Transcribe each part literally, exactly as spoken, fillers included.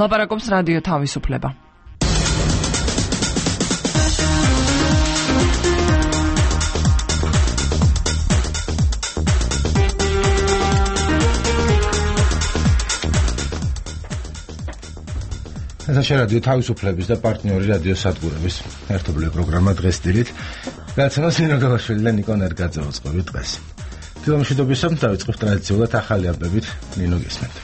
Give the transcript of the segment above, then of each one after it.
ლაპარაკობს რადიო თავისუფლება. ესა რადიო თავისუფლების და პარტნიორი რადიო სადგურების ერთობლივი პროგრამა დღეს დილით. გადაცემას ნინო გალაშვილი და ნიკო ნერგაძე უწყობთ დღეს. თილომშვიდობისამ დავიწყებთ ტრადიციულად ახალი ამბებით ნინო გესმენთ.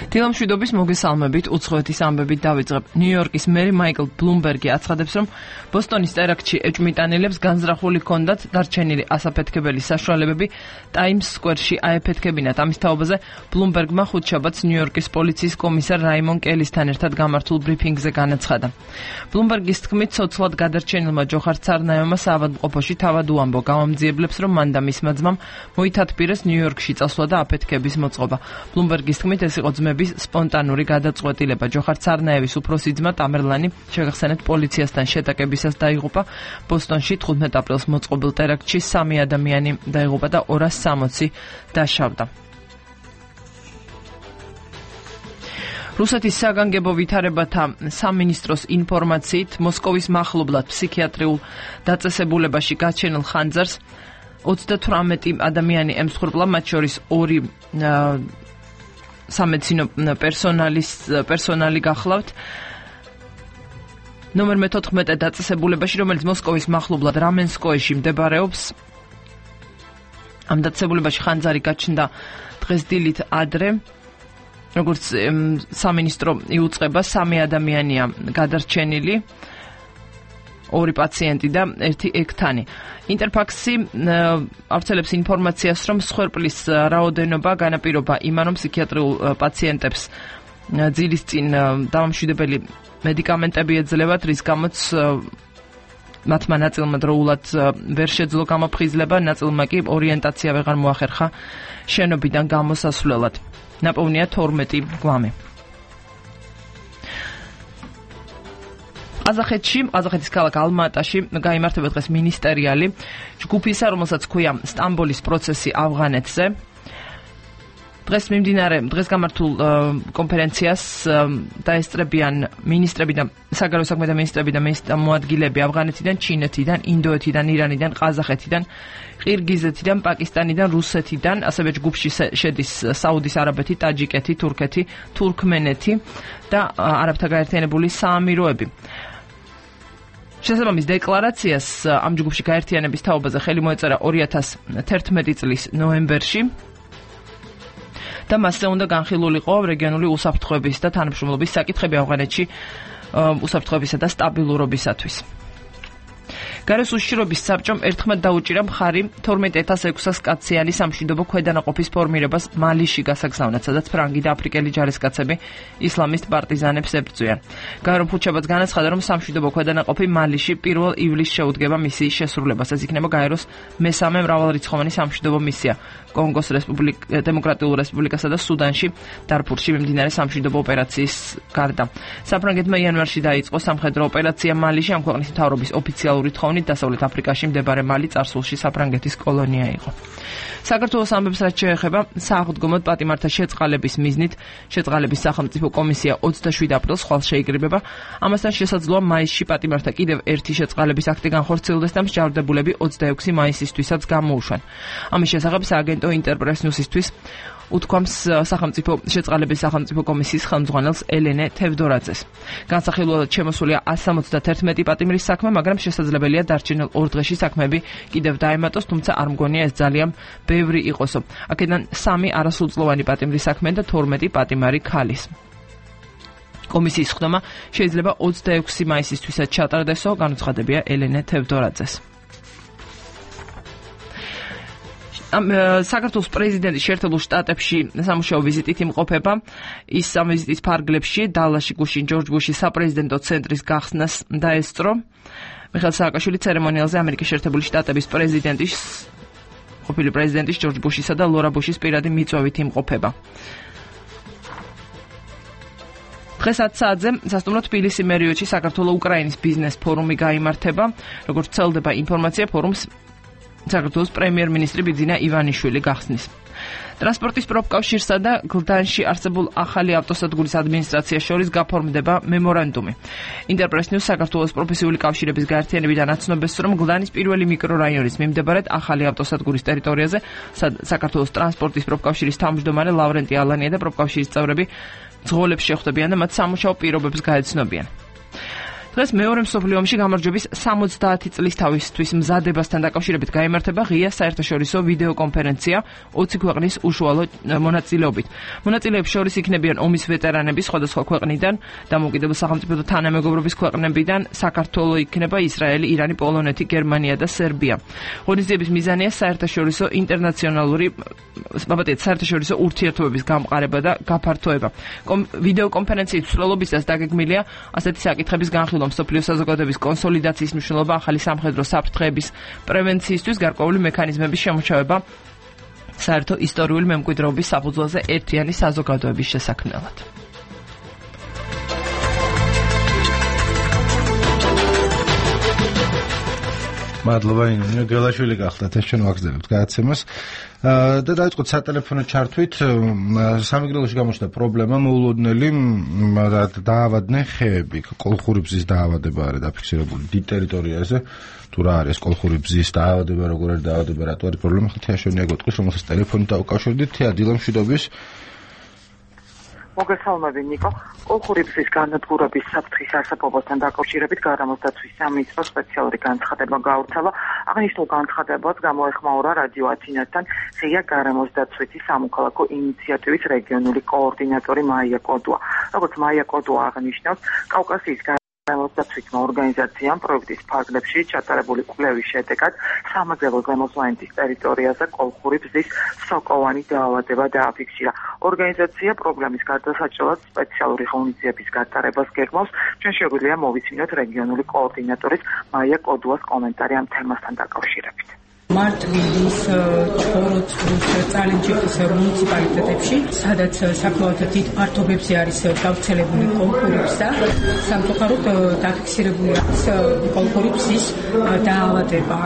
თილომშვიდობის მოგესალმებით, უცხოეთის ამბებით დავიწყებ. ნიუ-იორკის მერი მაიკლ ბლუმბერგი აცხადებს, რომ ბოსტონის ტერაქტში ეჭვმიტანილებს განზრახული ჰქონდათ დარჩენილი ასაფეთქებელი საშუალებები ტაიმს სკვერში აეფეთქებინათ. ამის თაობაზე ბლუმბერგმა ხუთშაბათს ნიუ-იორკის პოლიციის კომისარ რაიმონ კელისთან ერთად გამართულ ბრიფინგზე განაცხადა. ბლუმბერგის თქმით, ცოცხლად გადარჩენილმა ჯოხარ ცარნაევმა საავადმყოფოში თავად უამბო, გამომძიებლებს, რომ მან და მისმა ძმამ მოითათბირეს ნიუ-იორკში წასვლა და აფეთქების მოწყობა. ბლუმბერგის თქმით, ეს იყო ძმების სპონტანური გადაწყვეტილება. ჯოხარ ცარნაევის უფროსი ძმა ტამერლანი შეგახსენებთ პოლიციასთან შეტაკებისას დაიღუპა. ბოსტონში თხუთმეტ აპრილს მოწყობილ ტერაქტში სამი ადამიანი დაიღუპა და ორას სამოცი დაშავდა. რუსეთის საგანგებო ვითარებათა სამინისტროს ინფორმაციით, მოსკოვის მახლობლად ფსიქიატრიულ დაწესებულებაში გაჩენილ ხანძარს ოცდათვრამეტი ადამიანი ემსხვერპლა, მათ შორის ორი სამედიცინო პერსონალის პერსონალი გახლავთ. ნომერ მეთოთხმეტე დაწესებულებაში, რომელიც მოსკოვის მახლობლად რამენსკოეში მდებარეობს. ამ დაწესებულებაში ხანძარი გაჩნდა დღეს დილით ადრე. როგორც სამინისტრო იუწყება, სამი ადამიანია გადარჩენილი, ორი პაციენტი და ერთი ექთანი. ინტერფაქსი ავრცელებს ინფორმაციას, რომ მსხვერპლის რაოდენობა განაპირობა იმან, რომ ფსიქიატრიულ პაციენტებს ძილის წინ დამამშვიდებელი მედიკამენტები ეძლებათ, რის გამოც მათმა ნაწილმა დროულად ვერ შეძლო გამოფხიზლება, ნაწილმა კი ორიენტაცია ვეღარ მოახერხა შენობიდან გამოსასვლელად. ნაპოვნია თორმეტი გვამი. ყაზახეთში, ყაზახეთის ქალაქ ალმა-ატაში გაიმართება დღეს მინისტერიალი ჯგუფისა, რომელსაც ქვია სტამბოლის პროცესი ავღანეთზე. დღეს მიმდინარე, დღეს გამართულ კონფერენციას დაესწრებიან მინისტრები და საგარეო საქმეთა მინისტრები და მოადგილეები ავღანეთიდან, ჩინეთიდან, ინდოეთიდან, ირანიდან, ყაზახეთიდან, ყირგიზეთიდან, პაკისტანიდან, რუსეთიდან, ასევე ჯგუფში შედის საუდის არაბეთი, ტაჯიკეთი, თურქეთი, თურქმენეთი და არაბთა გაერთიანებული საამიროები. შესაბამის დეკლარაციას ამ ჯგუფში გაერთიანების თაობაზე ხელი მოეწერა ორი ათას თერთმეტი წლის ნოემბერში და მასზე უნდა განხილულიყო რეგიონული უსაფრთხოების და თანამშრომლობის საკითხები ავღანეთში უსაფრთხოებისა და სტაბილურობისათვის. გარეს უშიშროების საბჭომ ერთხმად დაუჭირა მხარი თორმეტ ათას ექვსას კაციანი სამშვიდობო ქვედანაყოფის ფორმირებას მალიში გასაგზავნად, სადაც ფრანგი და აფრიკელი ჯარისკაცები ისლამისტ პარტიზანებს ებრძვიან. გაერომ ხუთშაბათს განაცხადა, რომ სამშვიდობო ქვედანაყოფი მალიში პირველ ივლისს შეუდგება მისიის შესრულებას. ეს იქნება გაეროს მესამე მრავალრიცხოვანი სამშვიდობო მისია კონგოს დემოკრატიულ რესპუბლიკასა და სუდანში, დარფურში მიმდინარე სამშვიდობო ოპერაციის გარდა. საფრანგეთმა იანვარში დაიწყო სამხედრო ოპერაცია მალიში, ამ ქვეყნის მთავრობის ოფიციალური თხოვნით დასავლეთ აფრიკაში მდებარე მალი წარსულში საფრანგეთის კოლონია იყო. საქართველოს ამბებს რაც შეეხება სააღდგომოდ პატიმართა შეწყალების მიზნით, შეწყალების სახელმწიფო კომისია ოცდაშვიდ აპრილს ხვალ შეიკრიბება. ამასთან შესაძლოა მაისში პატიმართა კიდევ ერთი შეწყალების აქტი განხორციელდეს და მსჯავრდებულები ოცდაექვსი მაისისთვისაც გამოუშვან. ამის შესახებ სააგენტო ინტერპრეს ნიუსისთვის უთქვამს სახელმწიფო შეწყალების სახელმწიფო კომისიის ხელმძღვანელს ელენე თევდორაძეს. განსახილველად შემოსულია ასი სამოცდათერთმეტი პატიმრის საქმე, მაგრამ შესაძლებელია დარჩენილ ორ დღეში საქმეები კიდევ დაემატოს, თუმცა არ მგონია ეს ძალიან ბევრი იყოსო. აქედან სამი არასრულწლოვანი პატიმრის საქმე და თორმეტი პატიმარი ქალის. კომისიის ხდომა შეიძლება ოცდაექვსი მაისისთვისაც ჩატარდესო, განუცხადებია ელენე თევდორაძეს. საქართველოს პრეზიდენტი შეერთებულ შტატებში სამუშაო ვიზიტით იმყოფება. ის ამ ვიზიტის ფარგლებში დალაში გუშინ ჯორჯ ბუშის საპრეზიდენტო ცენტრის გახსნას დაესწრო. მიხეილ სააკაშვილი ცერემონიალზე ამერიკის შეერთებული შტატების პრეზიდენტის ყოფილი პრეზიდენტის ჯორჯ ბუშისა და ლორა ბუშის პირადი მიწვევით იმყოფება. დღეს ათ საათზე სასტუმრო თბილისი მერიოტში საქართველო-უკრაინის ბიზნეს ფორუმი გაიმართება. როგორც ვრცელდება ინფორმაცია, ფორუმს საქართველოს პრემიერ-მინისტრი ბიძინა ივანიშვილი გახსნის. ტრანსპორტის პროფკავშირსა და გლდანში არსებულ ახალი ავტოსადგურის ადმინისტრაციას შორის გაფორმდება მემორანდუმი. ინტერპრეს ნიუს საქართველოს პროფესიული კავშირების გაერთიანებიდან აცნობეს, რომ გლდანის პირველი მიკრორაიონის მიმდებარედ ახალი ავტოსადგურის ტერიტორიაზე საქართველოს ტრანსპორტის პროფკავშირის თავმჯდომარე ლავრენტი ალანია და პროფკავშირის წევრები ძღოლებს შეხვდებიან და მათ სამუშაო პირობებს გაეცნობიან. დღეს მეორე მსოფლიო ომში გამარჯვების სამოცდაათი წლის თავისთვის მზადებასთან დაკავშირებით გაიმართება ღია საერთაშორისო ვიდეო კონფერენცია ოცი ქვეყნის უშუალო მონაწილეობით. მონაწილეებს შორის იქნებიან ომის ვეტერანები სხვადასხვა ქვეყნიდან, დამოუკიდებელ სახელმწიფოთა თანამეგობრობის ქვეყნებიდან, საქართველო იქნება, ისრაელი, ირანი, პოლონეთი, გერმანია და სერბია. ღონისძიების მიზანია საერთაშორისო ინტერნაციონალური ბაბათეთ საერთაშორისო ურთიერთობების გამყარება და გაფართოება. ვიდეო კონფერენციის მსვლელობისას დაგეგმილია ასეთი საკითხების განხილვა მსოფლიო საზოგადოების კონსოლიდაციის მნიშვნელობა, ახალი სამხედრო საფრთხეების პრევენციისთვის გარკვეული მექანიზმების შემოჩავება საერთო ისტორიული მემკვიდრეობის საფუძველზე ერთიანი საზოგადოების შესაქმნელად. მადლობა ინონია გელაშვილი გახდათ ეს ჩვენ ვაგრძელებთ გადაცემას და დაიწყოთ სატელეფონო ჩართვით. სამეგრელოში გამოჩნდა პრობლემა, მოულოდნელი დაავადდნენ ხეები, კოლხური ბზის დაავადება არის დაფიქსირებული დიდ ტერიტორიაზე. თუ რა არის კოლხური ბზის დაავადება, როგორ არის დაავადება, რატო არის პრობლემა, თეაშონია გეტყვის, რომელსაც ტელეფონით დავუკავშირდით. თეა დილა მშვიდობის. მოგესალმები ნიკო. კოლხური ბზის განადგურების საფრთხის არსებობასთან დაკავშირებით გარემოს დაცვის სამინისტროს სპეციალური განცხადება გაავრცელა. აღნიშნულ განცხადებას გამოეხმაურა რადიო ათინასთან ღია გარემოს დაცვითი სამოქალაქო ინიციატივის რეგიონული კოორდინატორი მაია კოდუა. როგორც მაია კოდუა აღნიშნავს, კავკასიის გარემოს დაცვითმა ორგანიზაციამ პროექტის ფარგლებში ჩატარებული კვლევის შედეგად სამაგრელო ზემოწმენდის ტერიტორიაზე კოლხური ბზის სოკოვანი დაავადება დააფიქსირა. ორგანიზაცია პრობლემის გადასაჭრელად სპეციალური ღონისძიების გატარებას გეგმავს. ჩვენ შეგვიძლია მოვიცინოთ რეგიონული კოორდინატორის მაია კოდუას კომენტარი ამ თემასთან დაკავშირებით. მარტვილის, ჩხოროწყუს, წალენჯიხის მუნიციპალიტეტებში, სადაც საკმაოდ დიდ ფართობებზე არის გავრცელებული კოლხური ბზა, სამწუხაროდ დაფიქსირებული არის კოლხური ბზის დაავადება.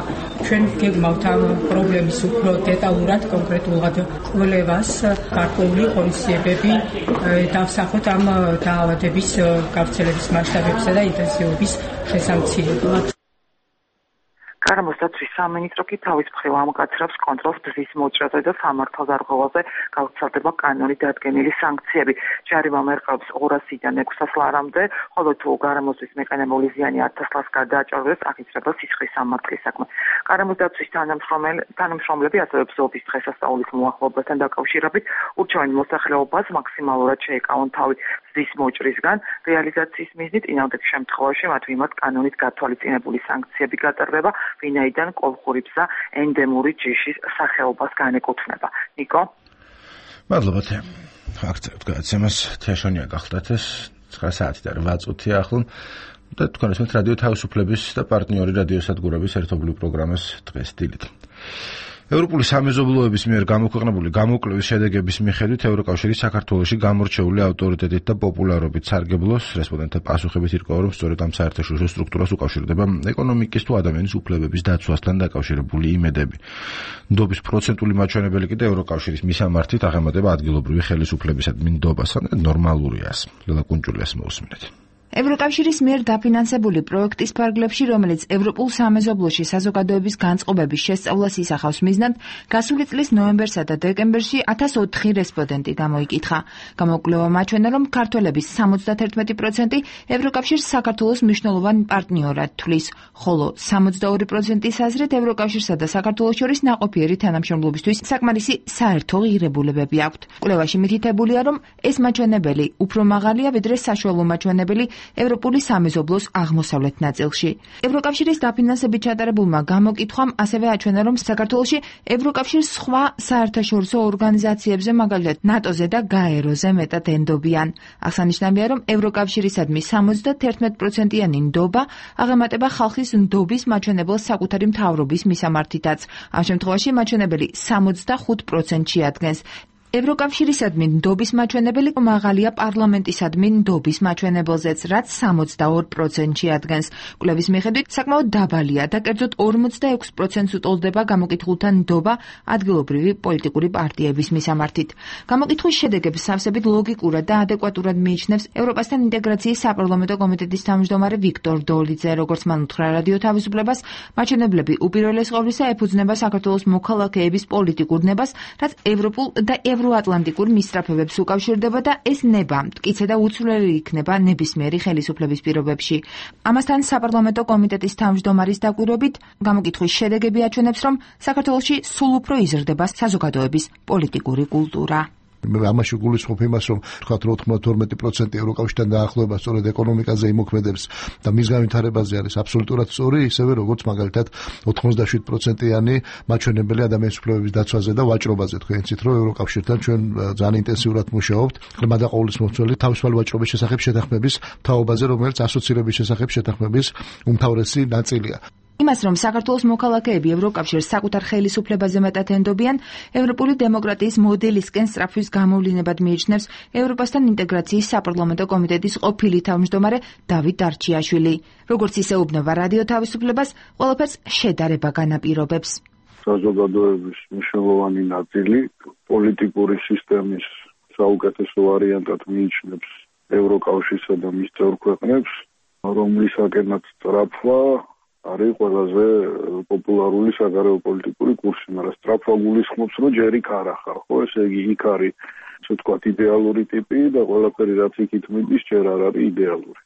ჩვენ გეგმავთ ამ პრობლემის უფრო დეტალურად, კონკრეტულად კვლევას, გარკვეული ღონისძიებები დავსახოთ ამ დაავადების გავრცელების მასშტაბებსა და ინტენსივობის შესამცირებლად. გარემოს დაცვის სამინისტრო კი თავის მხრივ ამკაცრებს კონტროლს ბზის მოჭრაზე და სამართალდარღვევაზე გავრცელდება კანონით დადგენილი სანქციები. ჯარიმა მერყეობს ორასიდან ექვსას ლარამდე, ხოლო თუ გარემოსთვის მეყენებული ზიანი ათას ლარს გადააჭარბებს, აღიძრება სისხლის სამართლის საქმე. გარემოს დაცვის თანამშრომლები ასევე ბზობის დღესასწაულის მოახლოებასთან დაკავშირებით ურჩევენ მოსახლეობას მაქსიმალურად შეეკავონ თავი ბზის მოჭრისგან. რეალიზაციის მიზნით წინააღმდეგ შემთხვევაში მათ მიმართ კანონით გათვალისწინებული სანქციები გატარდება, ვინაიდან კოლხური ბზა ენდემური ჯიშის სახეობას განეკუთვნება. ნიკო? მადლობა თეა. აქცევთ გადაცემას თეაშონია გახლდათ ეს ცხრა საათი და რვა წუთი ახლო და თქვენ ესმით რადიო თავისუფლების და პარტნიორი რადიოსადგურების ერთობლივ პროგრამას დღეს დილით. ევროპული სამეზობლოების მიერ გამოქვეყნებული გამოკვლევის შედეგების მიხედვით ევროკავშირი საქართველოში გამორჩეული ავტორიტეტით და პოპულარობით სარგებლობს. რესპონდენტთა პასუხებით ირკვევა, რომ სწორედ ამ საერთაშორისო სტრუქტურას უკავშირდება ეკონომიკის თუ ადამიანის უფლებების დაცვასთან დაკავშირებული იმედები. ნდობის პროცენტული მაჩვენებელი კიდე ევროკავშირის მისამართით აღემატება ადგილობრივი ხელისუფლებისადმი ნდობას. ნორმალურია. ლელა კუნჭულიას მოусმინეთ. ევროკავშირის მიერ დაფინანსებული პროექტის ფარგლებში, რომელიც ევროპულ სამეზობლოში საზოგადოების განწყობების შესწავლას ისახავს მიზნად, გასული წლის ნოემბერსა და დეკემბერში ათას ოთხი რესპონდენტი გამოიკითხა. გამოკვლევა მაჩვენა, რომ ქართველების სამოცდათერთმეტი პროცენტი ევროკავშირს საქართველოს მნიშვნელოვან პარტნიორად თვლის, ხოლო სამოცდაორი პროცენტის აზრით ევროკავშირსა და საქართველოს შორის ნაყოფიერი თანამშრომლობისთვის საკმარისი საერთო ღირებულებები აქვთ. კვლევაში მითითებულია, რომ ეს მაჩვენებელი უფრო მაღალია, ვიდრე საშუალო მაჩვენებელი ევროპული სამეზობლოს აღმოსავლეთ ნაწილში. ევროკავშირის დაფინანსებით ჩატარებულმა გამოკითხვამ ასევე აჩვენა, რომ საქართველოში ევროკავშირის სხვა საერთაშორისო ორგანიზაციებზე, მაგალითად ნატოზე და გაეროზე მეტად ენდობიან. აღსანიშნავია, რომ ევროკავშირისადმი სამოცდათერთმეტი პროცენტიანი ნდობა აღემატება ხალხის ნდობის მაჩვენებელს საკუთარი მთავრობის მისამართითაც. ამ შემთხვევაში მაჩვენებელი სამოცდახუთ პროცენტში ადგენს. ევროკავშირისადმი ნდობის მაჩვენებელი მაღალია პარლამენტისადმი ნდობის მაჩვენებელზეც, რაც სამოცდაორ პროცენტში ადგენს. კვლევის მიხედვით საკმაოდ დაბალია და კერძოდ ორმოცდაექვს პროცენტს უტოლდება გამოკითხულთა ნდობა ადგილობრივი პოლიტიკური პარტიების მისამართით. გამოკითხვის შედეგებს სავსებით ლოგიკურად და ადეკვატურად მიიჩნევს ევროპასთან ინტეგრაციის საპარლამენტო კომიტეტის თავმჯდომარე ვიქტორ დოლიძე, როგორც მან უთხრა რადიო თავისუფლებას, მაჩვენებლები უპირველეს ყოვლისა ეფუძნება საქართველოს მოქალაქეების პოლიტიკურ ნებას, რაც ევროპულ და ევროატლანტიკურ მისწრაფებებს უკავშირდება და ეს ნება მტკიცე და უცვლელი იქნება ნებისმიერი ხელისუფლების პირობებში. ამასთან საპარლამენტო კომიტეტის თავმჯდომარის დაკვირვებით გამოკითხვის შედეგები აჩვენებს, რომ საქართველოში სულ უფრო იზრდება საზოგადოების პოლიტიკური კულტურა. ამაში გულისხმობ იმას, რომ თქვათ ოთხმოცდათორმეტი პროცენტი ევროკავშირთან დაახლოება სწორედ ეკონომიკაზე იმოქმედებს და მის განვითარებაზე არის აბსოლუტურად სწორი, ისევე როგორც მაგალითად ოთხმოცდაშვიდ პროცენტიანი მაჩვენებელი ადამიანის უფლებების დაცვაზე და ვაჭრობაზე. თქვენ იცით, რომ ევროკავშირთან ჩვენ ძალიან ინტენსიურად მუშაობთ ღრმა და ყოვლისმომცველი თავისუფალი ვაჭრობის შესახებ შეთანხმების თაობაზე, რომელიც ასოცირების შესახებ შეთანხმების უმთავრესი ნაწილია. იმას, რომ საქართველოს მოქალაქეები ევროკავშირს საკუთარ ხელისუფლებაზე მეტად ენდობიან, ევროპული დემოკრატიის მოდელისკენ სწრაფვის გამოვლინებად მიიჩნევს ევროპასთან ინტეგრაციის საპარლამენტო კომიტეტის ყოფილი თავმჯდომარე დავით დარჩიაშვილი. როგორც ისეუბნება რადიო თავისუფლებას, ყველაფერს შედარება განაპირობებს. საზოგადოების მნიშვნელოვანი ნაწილი პოლიტიკური სისტემის საუკეთესო ვარიანტად მიიჩნევს ევროკავშირსა და მის წევრ ქვეყნებს, რომლისაკენაც სწრაფვა არის ყველაზე პოპულარული საგარეო პოლიტიკური კურსი, მაგრამ სწრაფვა გულისხმობს, რომ ჯერ იქ არ ახარ, ხო, ესე იგი იქ არის, ასე ვთქვათ, იდეალური ტიპი და ყველაფერი რაც იქით მიდის, ჯერ არ არის იდეალური.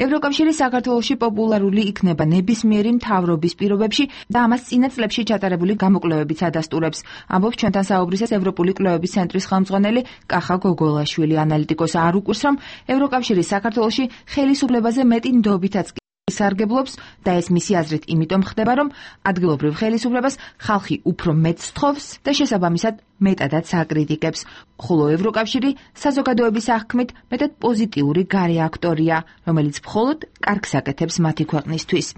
ევროკავშირი საქართველოში პოპულარული იქნება ნებისმიერი მთავრობის პირობებში და ამას წინა წლებში ჩატარებული გამოკვლევებიც ადასტურებს. ამბობს ჩვენთან საუბრისას ევროპული კვლევების ცენტრის ხელმძღვანელი კახა გოგოლაშვილი. ანალიტიკოსი არ უკვირს, რომ ევროკავშირი საქართველოში ხელისუფლებაზე მეტი ნდობითაც სარგებლობს და ეს მისი აზრით იმიტომ ხდება, რომ ადგილობრივ ხელისუფლებას ხალხი უფრო მეტ სთხოვს და შესაბამისად მეტადაც აკრიტიკებს, ხოლო ევროკავშირი საზოგადოების აღქმით მეტად პოზიტიური გარე აქტორია, რომელიც მხოლოდ კარგს აკეთებს მათი ქვეყნისთვის.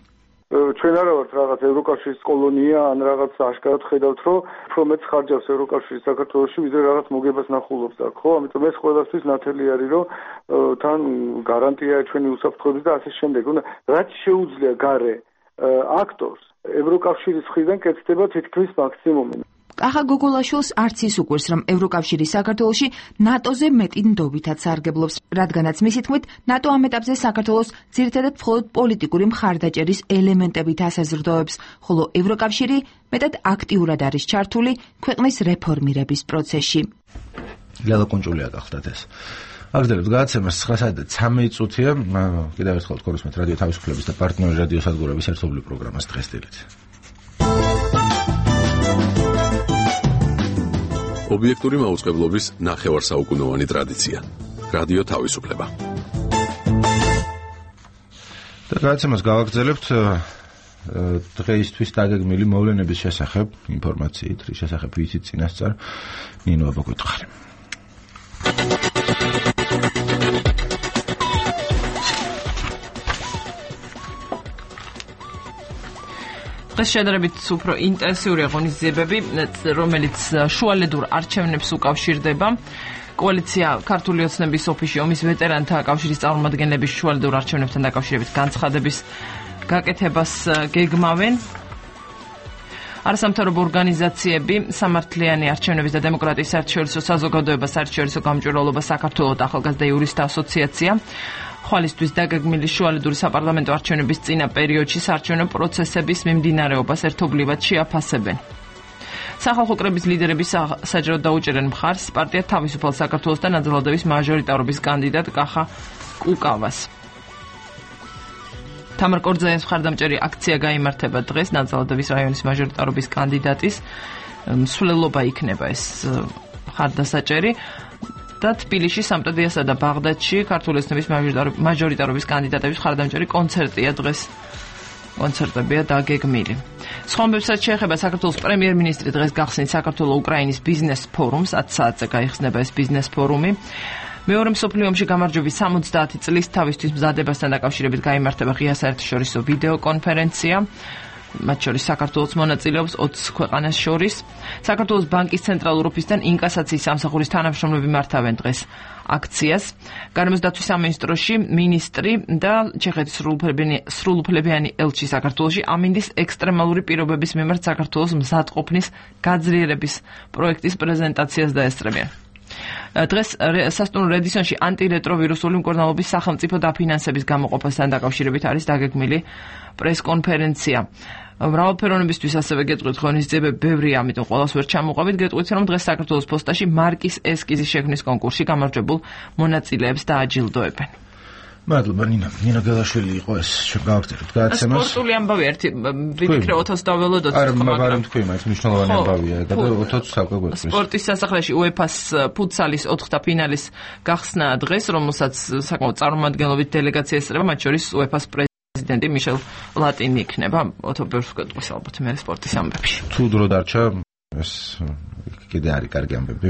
ჩვენ არა ვართ რაღაც ევროკავშირის კოლონია ან რაღაც აშკარად ხედავთ, რომ უფრო მეც ხარჯავს ევროკავშირი საქართველოში, ვიდრე რაღაც მოგებას ნახულობს აქ, ხო? ამიტომ ეს ყველასთვის ნათელი არის, რომ თან გარანტია ჩვენი უსაფრთხოების და ასე შემდეგ. რაც შეუძლია გარე აქტორს ევროკავშირის მხრიდან კეთდება თითქმის მაქსიმუმი. კახა გოგოლაშვილს არც ის უკვირს, რომ ევროკავშირი საქართველოში ნატოზე მეტი ნდობითაც სარგებლობს, რადგანაც მისი თქმით, ნატო ამ ეტაპზე საქართველოს ძირითადად მხოლოდ პოლიტიკური მხარდაჭერის ელემენტებით ასაზრდოებს, ხოლო ევროკავშირი მეტად აქტიურად არის ჩართული ქვეყნის რეფორმირების პროცესში. ლელა კონჭულია გახლდათ ეს. აგრძელებთ გადაცემას ცხრა საათი და ცამეტი წუთია. კიდევ ერთხელ გქონდეთ რადიო თავისუფლების და პარტნიორი რადიო სადგურების ერთობლივ პროგრამას დღეს დილით. ობიექტური მაუწყებლობის ნახევარსაუკუნოვანი ტრადიცია. რადიო თავისუფლება. და გადაცემას გავაგრძელებთ დღეისთვის დაგეგმილი მოვლენების შესახებ, ინფორმაციით, რის შესახებ ვიცით წინასწარ, ნინო აბაგვითხარი. დღეს შედარებით უფრო ინტენსიური ღონისძიებები, რომელიც შუალედურ არჩევნებს უკავშირდება. კოალიცია ქართული ოცნების ოფისში ომის ვეტერანთა კავშირის წარმომადგენლების შუალედურ არჩევნებთან დაკავშირებით განცხადების გაკეთებას გეგმავენ. არასამთავრობო ორგანიზაციები სამართლიანი არჩევნების და დემოკრატიის საერთაშორისო საზოგადოება საერთაშორისო გამჭვირვალობა საქართველოს ახალგაზრდა იურისტთა ასოციაცია ხვალისთვის დაგეგმილი შუალედური საპარლამენტო არჩევნების წინა პერიოდში საარჩევნო პროცესების მიმდინარეობას ერთობლივად შეაფასებენ. სახალხო კრების ლიდერები საჯაროდ დაუჭერენ მხარს პარტია თავისუფალ საქართველოს და ნაძალადევის მაჟორიტარობის კანდიდატ კახა კუკავას. თამარ კორძაიას მხარდამჭერი აქცია გაიმართება დღეს ნაძალადევის რაიონის მაჟორიტარობის კანდიდატის მსვლელობა იქნება ეს მხარდასაჭერი. და თბილისში, სამტრედიასა და ბაღდადში ქართული ოცნების მაჟორიტარობის კანდიდატების მხარდამჭერი კონცერტია დღეს. კონცერტებია დაგეგმილი. სხვა ამბებსაც შეეხება საქართველოს პრემიერ-მინისტრი დღეს გახსნით საქართველო-უკრაინის ბიზნეს ფორუმს, ათ საათზე გაიხსნება ეს ბიზნეს ფორუმი. მეორე მსოფლიო ომში გამარჯვების სამოცდაათი წლის თავისთვის მზადებასთან დაკავშირებით გაიმართება ღია საერთაშორისო ვიდეო კონფერენცია. მათ შორის საქართველოს მონაწილეობს ოცი ქვეყანას შორის. საქართველოს ბანკის ცენტრალურ ოფისთან ინკასაციის სამსახურის თანამშრომლები მართავენ დღეს აქციას. გარემოს დაცვის სამინისტროში მინისტრი და ჩეხეთის სრულუფლებიანი ელჩი საქართველოში ამინდის ექსტრემალური პირობების მიმართ საქართველოს მზადყოფნის გაძლიერების პროექტის პრეზენტაციას დაესწრებიან. დღეს სასტუმრო რედისონში ანტირეტროვირუსული მკურნალობის სახელმწიფო დაფინანსების გამოყოფასთან დაკავშირებით არის დაგეგმილი პრესკონფერენცია. მრავალფეროვნებისთვის ასევე გეტყვით ღონისძიებები ბევრია, ამიტომ ყველას ვერ ჩამოყვებით. გეტყვით, რომ დღეს საქართველოს პოსტაში მარკის ესკიზის შექმნის კონკურსში გამარჯვებულ მონაწილეებს დააჯილდოებენ. მადლობა ნინა. ნინა გელაშვილი იყო ეს შეგავწერეთ გადაცემას. სპორტული ამბავი ერთი ვიფიქრე ოთოს დაველოდოთ. არა, მაგრამ თქვი, მაინც მნიშვნელოვანი ამბავია და ოთოს საკვე გვეწვის. სპორტის სასახლეში უეფას ფუტსალის ოთხთა ფინალის გახსნა დღეს, რომელსაც საკმაოდ წარმომადგენლობით დელეგაცია ესწრება, მათ შორის უეფას პრეზიდენტი მიშელ პლატინი იქნება. ოთო ბევრს გვეტყვის ალბათ მე სპორტის ამბებში. თუ დრო დარჩა ეს კიდე არის კარგი ამბები.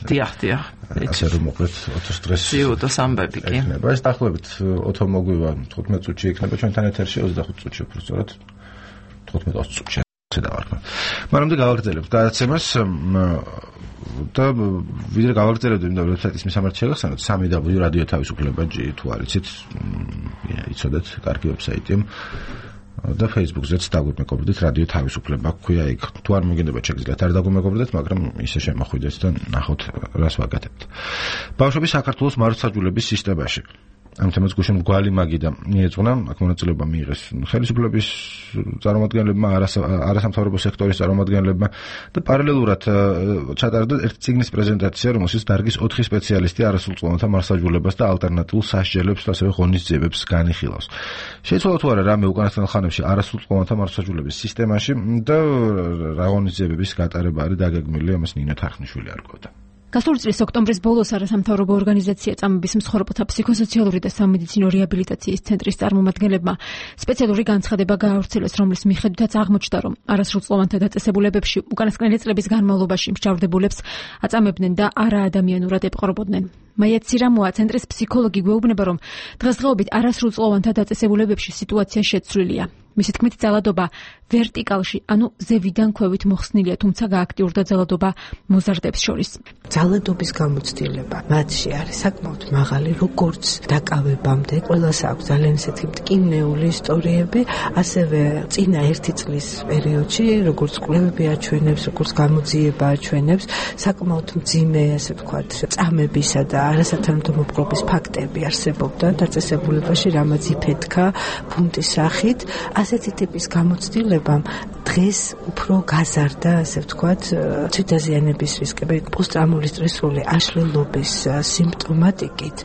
დიახ, დიახ. ასე რომ მოკლედ ოთოს დღეს სიუტოს ამბები კი. იქნება. ეს დაახლოებით ოთო მოგვივა თხუთმეტ წუთში იქნება ჩვენთან ეთერში ოცდახუთ წუთში უფრო სწორად თხუთმეტ ოცი წუთში ასე დავარქვა. მაგრამ გავაგრძელებთ გადაცემას და ვიდრე გავაგრძელებთ იმ ვებსაიტის მისამართი შეგახსენოთ სამი დაბლიუ რადიო თავისუფლება ჯი თუ არ იცით იცოდეთ კარგი ვებსაიტია და Facebook-ზეც დაგვიმეგობრდით რადიო თავისუფლება ქვია იქ თუ არ მოგინდებათ შეგიძლიათ არ დაგვიმეგობრდეთ მაგრამ ისე შემოხვიდეთ და ნახოთ რას ვაკეთებთ. ბავშვების საქართველოს მართლმსაჯულების სისტემაში ამ თემას გუშინ მგვალი მაგიდა მიეძღვნა აქ მონაწილეობა მიიღეს ხელისუფლების წარმომადგენლებმა არასამთავრობო სექტორის წარმომადგენლებმა და პარალელურად ჩატარდა ერთი წიგნის პრეზენტაცია რომელშიც დარგის ოთხი სპეციალისტი არასრულწლოვანთა მართლმსაჯულებას და ალტერნატიულ სასჯელებს და ასევე ღონისძიებებს განიხილავს. შეიცვალა თუ არა რამე უკანასკნელ ხანებში არასრულწლოვანთა მართლმსაჯულების სისტემაში და რა ღონისძიებების გატარება არის დაგეგმილი ამას ნინო თარხნიშვილი არკვევდა. გასული წლის ოქტომბრის ბოლოს არასამთავრობო ორგანიზაცია წამების მსხვერპლთა ფსიქოსოციალური და სამედიცინო რეაბილიტაციის ცენტრის წარმომადგენლებმა სპეციალური განცხადება გაავრცელეს, რომლის მიხედვითაც აღმოჩნდა, რომ არასრულწლოვანთა დაწესებულებებში უკანასკნელი წლების განმავლობაში მსჯავრდებულებს აწამებდნენ და არაადამიანურად ეპყრობოდნენ. მაია ცირამოა ცენტრის ფსიქოლოგი გვეუბნება, რომ დღესდღეობით არასრულწლოვანთა დაწესებულებებში სიტუაცია შეცვლილია. მისი თქმით, ძალადობა ვერტიკალში, ანუ ზევიდან ქვევით მოხსნილია, თუმცა გააქტიურდა ძალადობა მოზარდებს შორის. ძალადობის გამოცდილება მათში არის საკმაოდ მაღალი, როგორც დაკავებამდე. ყველას აქვს ძალიან ისეთი მტკივნეული ისტორიები, ასევე წინა ერთი წლის პერიოდში, როგორც კვლევები აჩვენებს, როგორც გამოძიება აჩვენებს, საკმაოდ მძიმე, ასე ვთქვათ, წამებისა და არასათანადო მოპყრობის ფაქტები არსებობდა დაწესებულებაში, რამაც იფეთქა ბუნტის სახით. ასეთი ტიპის გამოცდილებამ დღეს უფრო გაზარდა, ასე ვთქვათ, თვითდაზიანების რისკები, პოსტტრაუმული სტრესული აშლილობის სიმპტომატიკით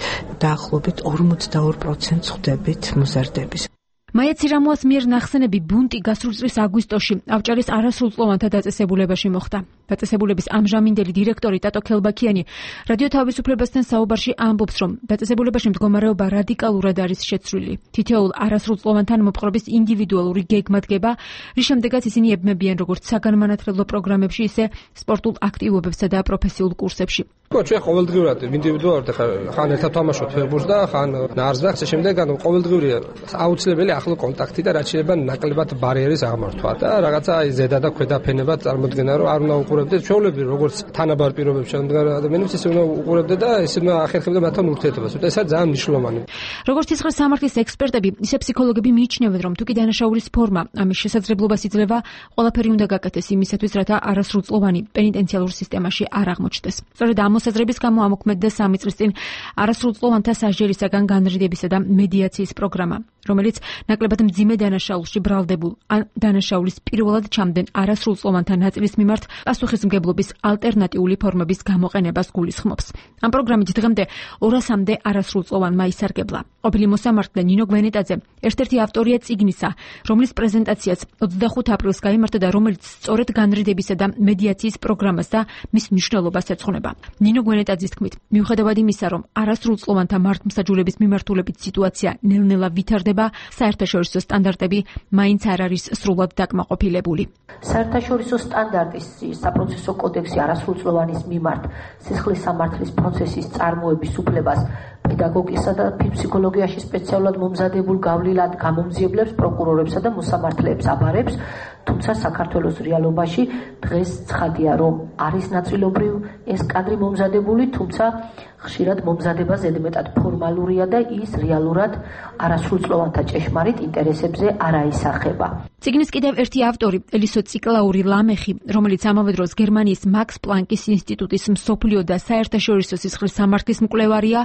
დაახლოებით ორმოცდაორ პროცენტს ხვდებით მოზარდების. მაია ცირამოას მიერ ნახსენები ბუნტი გასული წლის აგვისტოში ავჭარის არასრულწლოვანთა დაწესებულებაში მოხდა. დაწესებულების ამჟამინდელი დირექტორი ტატო ქელბაქიანი რადიო თავისუფლებასთან საუბარში ამბობს, რომ დაწესებულებაში მდგომარეობა რადიკალურად არის შეცვლილი. თითოეულ არასრულწლოვანთან მოპყრობის ინდივიდუალური გეგმა დგება, რის შემდეგაც ისინი ებმებიან როგორც საგანმანათლებლო პროგრამებში, ისე სპორტულ აქტივობებსა და პროფესიულ კურსებში. ხო, ჩვენ ყოველდღიურად ინდივიდუალურად ხან ერთად თამაშობთ ფეხბურთს და ხან ნარს და ასე შემდეგ, ანუ ყოველდღიურია აუცილებელი ახლო კონტაქტი და რაც შეიძლება ნაკლებად ბარიერის აღმართვა და რაღაცა აი ზედა და ქვედა ფენება წარმოქმნა, რომ არ უნდა უყურებდეთ ჩვეულებრივ როგორც თანაბარ პირობებში შემდგარ ადამიანებს, ისე უნდა უყურებდეთ და ისე უნდა ახერხებდეთ მათთან ურთიერთობას. ეს არის ძალიან მნიშვნელოვანი. როგორც ცხრა სამართლის ექსპერტები, ისე ფსიქოლოგები მიიჩნევენ, რომ თუკი დანაშაულის ფორმა ამის შესაძლებლობას იძლევა, ყველაფერი უნდა გაკეთდეს იმისათვის, რათა არასრულწლოვანი პენიტენციალურ სისტემაში არ აღმოჩნდეს. სწორედ ამ მოსაზრების გამო ამოქმედდა სამი წლის წინ არასრულწლოვანთა სასჯელისაგან განრიდებისა და მედიაციის პროგრამა, რომელიც ნაკლებად მძიმე დანაშაულში ბრალდებულ ან დანაშაულის პირველად ჩამდენ არასრულწლოვანთა ნაწილის მიმართ პასუხისმგებლობის ალტერნატიული ფორმების გამოყენებას გულისხმობს. ამ პროგრამით დღემდე ორასამდე არასრულწლოვანმა ისარგებლა. ყოფილი მოსამართლე ნინო გვენეტაძე ერთ-ერთი ავტორია წიგნისა, რომლის პრეზენტაციაც ოცდახუთ აპრილს გაიმართა და რომელიც სწორედ განრიდებისა და მედიაციის პროგრამას და მის მნიშვნელობას ეძღვნება. ნინო გვენეტაძის თქმით, მიუხედავად იმისა, რომ არასრულწლოვანთა მართლმსაჯულების მიმართულებით სიტუაცია ნელ-ნელა ვითარდება, საერთაშორისო სტანდარტები მაინც არ არის სრულად დაკმაყოფილებული. საერთაშორისო სტანდარტის საპროცესო კოდექსი არასრულწლოვანის მიმართ სისხლის სამართლის პროცესის წარმოების უფლებას პედაგოგიკასა და ფსიქოლოგიაში სპეციალურად მომზადებულ გავლილად გამომძიებლებს, პროკურორებსა და მოსამართლეებს აბარებს, თუმცა საქართველოს რეალობაში დღეს ცხადია, რომ არის ნაწილობრივ ეს კადრი მომზადებული, თუმცა ხშირად მომზადება ზედმეტად ფორმალურია და ის რეალურად არასრულწლოვანთა ჭეშმარიტ ინტერესებზე არ აისახება. წიგნის კიდევ ერთი ავტორი, ელისო ციკლაური ლამეხი, რომელიც ამავე დროს გერმანიის მაქს პლანკის ინსტიტუტის მსოფლიო და საერთაშორისო სისხლის სამართლის მკვლევარია,